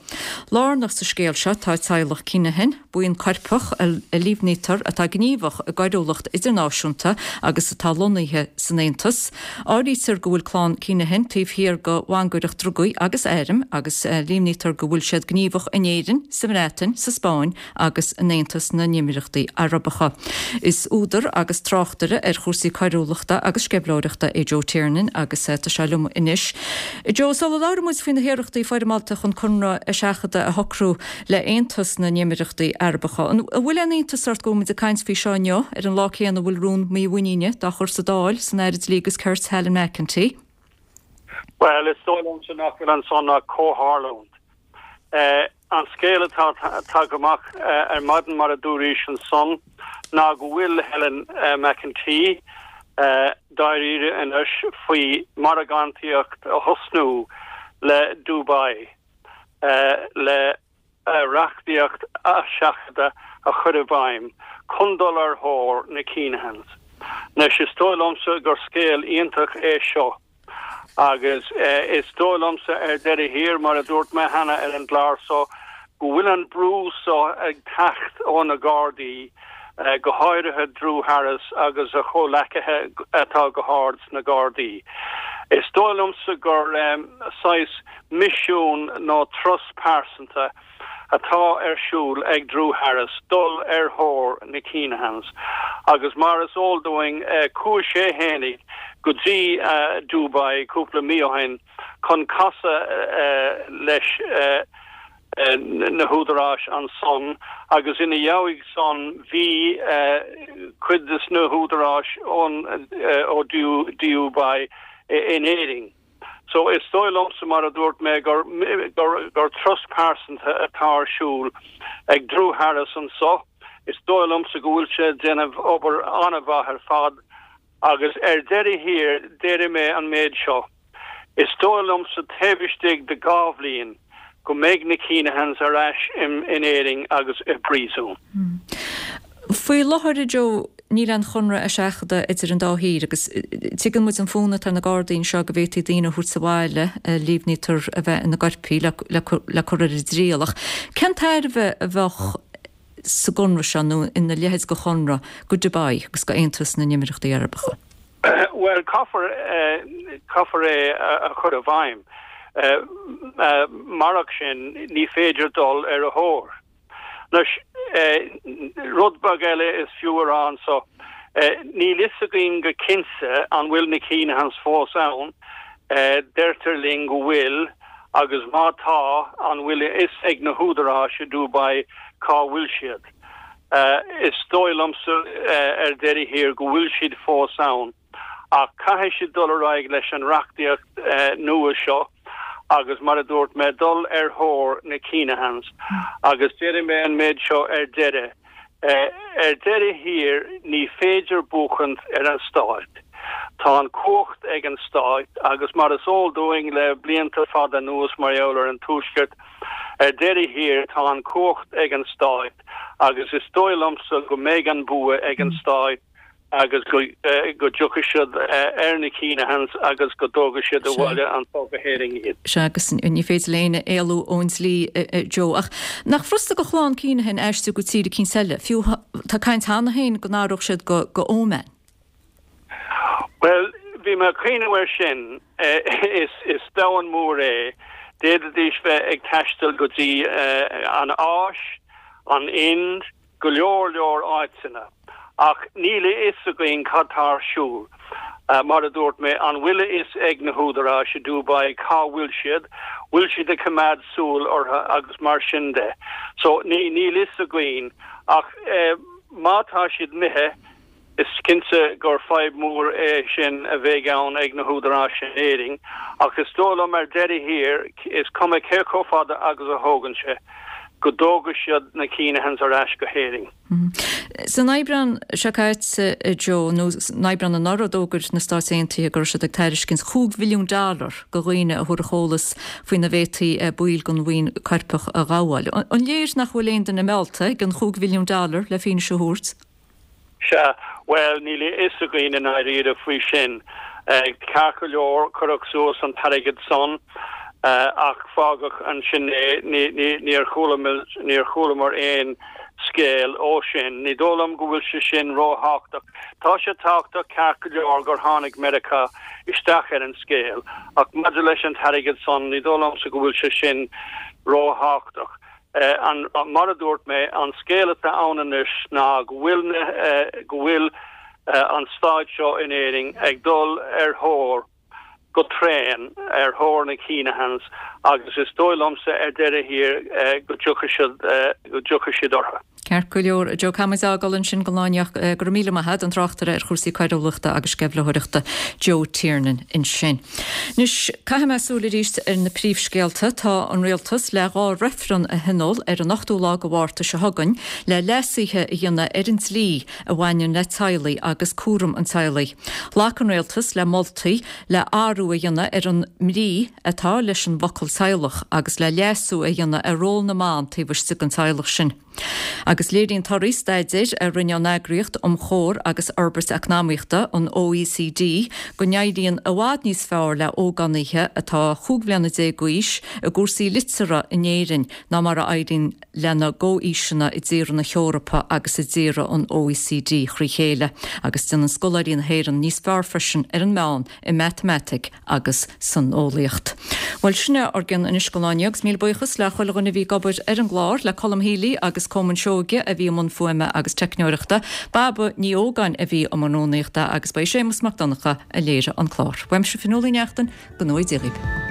Lárnach sa scéal seo tá teaghlach Kinahan, buíon coirpeach a líomhnaítear atá gníomhach i gcoiriúlacht idirnáisiúnta agus atá lonnaithe san Aontas. Áirítear go bhfuil clann Kinahan taobh thiar de mhangaireacht drugaí agus airm agus líomhnaítear go bhfuil siad gníomhach in Éirinn, sa mBreatain, sa Spáinn agus in Aontas na nÉimíríochtaí Arabacha. Is údar agus tráchtaire ar chúrsaí coiriúlachta agus sceimhlitheoireachta é Joe Tiernan agus tá sé liom anois. Joe, sula labhraíonn muid faoi na hiarrachtaí foirmeálta chun conradh eiseachadta a shocrú le Aontas na nÉimíríochtaí Arabacha, an bhfuil aon iontas ort go bhfuil muid ag caint faoi seo inniu, ar an lá céanna a bhfuil rún mímhuiníne dá chur sa Dáil san Aire Dlí agus Cirt Helen McEntee?
Bhuel, is dóigh liomsa nach bhfuil ansan ach comhtharlúint. An scéal atá tagtha amach ar maidin, mar a dúraís ansan, ná go bhfuil Helen McEntee dáiríre anois faoi mhargántaíocht a thosnú le Dubai le reachtaíocht eiseachadta a chur i bhfeidhm chun dul ar thóir na Kinahans. Anois, is dóigh liomsa gur scéal iontach é seo. Agus is dóigh liomsa ar deireadh thiar, mar a dúirt mé cheana ar an gclár so, go bhfuil an brú so ag teacht ó na Gardaí, go háirithe Drew Harris agus a chomhleacaithe atá go hard sna Gardaí. Is dóigh liomsa gur saghas misiún nó turas pearsanta atá ar siúl ag Drew Harris dul ar thóir na Kinahans agus mar is eol dúinn chuaigh sé fhéinig go dtí Dubai cúpla mí ó shin chun casadh leis na húdaráis ansan agus ina dhiaidh san bhí cuid des na húdaráis ón ó Dubai in Éirinn. So, is dóigh liomsa, mar a dúirt mé, gur gur turas pearsanta atá ar siúl ag Drew Harris anso. Is dóigh liomsa go bhfuil sé ag déanamh obair an-mhaith ar fad agus ar deireadh thiar déarfaidh mé an méid seo, is dóigh liomsa taobh istigh de dha bhliain go mbeidh na Kinahans ar ais in Éirinn agus i bpríosún.
Faoi láthair, a Joe, níl aon chonradh eiseachadta idir an dá thír agus tuigeann muid an fonn atá ar na Gardaí anseo go bhféadfaí daoine a thabhairt abhaile a líomhnaítear a bheith ina gcoirpigh le cur ar a dtriail. Ach cén tairbhe a bheadh sa gconradh seo nó ina leithéid de chonradh go Dubai agus go Aontas na nÉimíríochtaí Arabacha?
Bhuel, caithfear, caithfear é a chur i bhfeidhm. Marach sin, ní féidir dul ar a thóir. Anois, rud beag eile is fiú a rá anso, níl fhios againn go cinnte an bhfuil na Kinahans fós ann, deirtear linn go bhfuil, agus má tá, an bhfuil a fhios ag na húdaráis i Dubai cá bhfuil siad? Is dóigh liomsa ar deireadh thiar go bhfuil siad fós ann. Ach caithfidh siad dul ar aghaidh leis an reachtaíocht nua seo agus, mar a dúirt mé, dul ar thóir na Kinahans. Agus déarfaidh mé an méid seo ar deireadh, ar deireadh thiar, ní féidir buachaint ar an Stát. Tá an chumhacht ag an Stát agus mar is eol dúinn le blianta fada anuas mar gheall ar an Tuaisceart, ar deireadh thiar, tá an chumhacht ag an Stát agus is dóigh liomsa go mbeidh an bua ag an Stát. agus go dtiocfaidh siad ar na Kinahans agus go dtógfaidh siad abhaile anso go hÉirinn iad.
Sea, agus ní féidir le éinne éalú ón dlí, a Joe. Ach nach furasta do chlann Kinahan aistriú go tír eicínt eile? Fiú tá caint cheana féin go n-athródh siad go go Oman.
Bhuel, bhí mé ag cuimhneamh air sin. Is domhan mór é. D'fhéadfaidís bheith ag taisteal go dtí an Áis, an Ind, go leor leor áiteanna, ach níl a fhios againn cad tá ar siúl. Mar a dúirt mé, an bhfuil a fhios ag na húdaráis i Dubai cá bhfuil siad, bhfuil siad ag coimeád súil orthu agus mar sin de. So, níl fhios againn, ach má tá siad imithe, Is cinnte gur fadhb mhór é sin a bheidh ann ag na húdaráis in Éirinn, ach is dóigh liom ar deireadh thiar, is cuma cé chomh fada agus a thógann sé, go dtógfaidh siad na Kinahans ar ais go hÉirinn.
San Aibreán seo caite, a Joe, nó san Aibreán anuraidh, d'fhógair na Stáit Aontaithe go raibh siad ag tairiscint chúig mhilliún dollar do dhaoine a thabharfadh eolas faoina bhféadfaí baill den bhuíon coirpeach a ghabháil. An léir nach bhfuil aon duine meallta ag an chúig mhilliún dollar le fianaise a thabhairt?
Sea, bhuel, níl a fhios againn i ndáiríre faoi sin. Ceart go leor, cuireadh suas an t-airgead san, ach fágadh ansin é. Níor chualamar aon scéal ó sin. Ní dóigh liom go bhfuil sé sin róthábhachtach. Tá sé tábhachtach, ceart go leor, gur tháinig Meiriceá isteach ar an scéal, ach maidir leis an t-airgead san, ní dóigh liomsa go bhfuil sé sin róthábhachtach. Mar a dúirt mé, an scéal atá ann anois ná go bhfuil na, go bhfuil an staid seo in Éirinn ag dul ar thóir, go tréan, ar thóir na Keenahans agus is dóigh liomsa ar deireadh thiar go dtiocfaidh siad, go dtiocfaidh siad orthu.
Ceart go leor, a Joe, caithfimid a fhágáil ansin don lá inniu. Go raibh míle maith agat, an tráchtaire ar chúrsaí coiriúlachta agus sceimhlitheoireachta, Joe Tiernan ansin. Anois, caithfidh mé súil arís ar na príomhscéalta. Tá an Rialtas le 2 reifreann a thionól ar an 8ú lá de Mhárta seo chugainn le leasuithe a dhéanamh ar an dlí a bhaineann le teaghlaigh agus cúram an teaghlaigh. Ghlac an Rialtas le moltaí le athrú a dhéanamh ar an mbrí atá leis an bhfocal teaghlach agus le leasú a dhéanamh ar ról na mban taobh istigh den teaghlach sin. Agus léiríonn torthaí staidéir a rinne an Eagraíocht um Chomhar agus Fhorbairt Eacnamaíochta, an OECD, go n-éiríonn i bhfad níos fearr le hógánaithe atá 15 bhliana d'aois i gcúrsaí liteartha in Éirinn ná mar a éiríonn lena gcomhaoiseanna i dtíortha na hEorpa agus i dtíortha an OECD thrí chéile, agus déanann scoláirí na hÉireann níos fearr freisin ar an meán i matamaitic agus san eolaíocht. Bhuel, sin é ár gcion anois don lá inniu, agus míle buíochas le chuile dhuine a bhí ag obair ar an gclár, le Colm Healy agus Coman Seoige a bhí i mbun fuaime agus teicneoireachta, Baba Ní Ógáin a bhí i mbun rúnaíochta agus ba é Séamus Mac Donncha a léirigh an clár. Uaimse Fionnuala Ní Neachtain, go ngnóthaí Dia dhaoibh.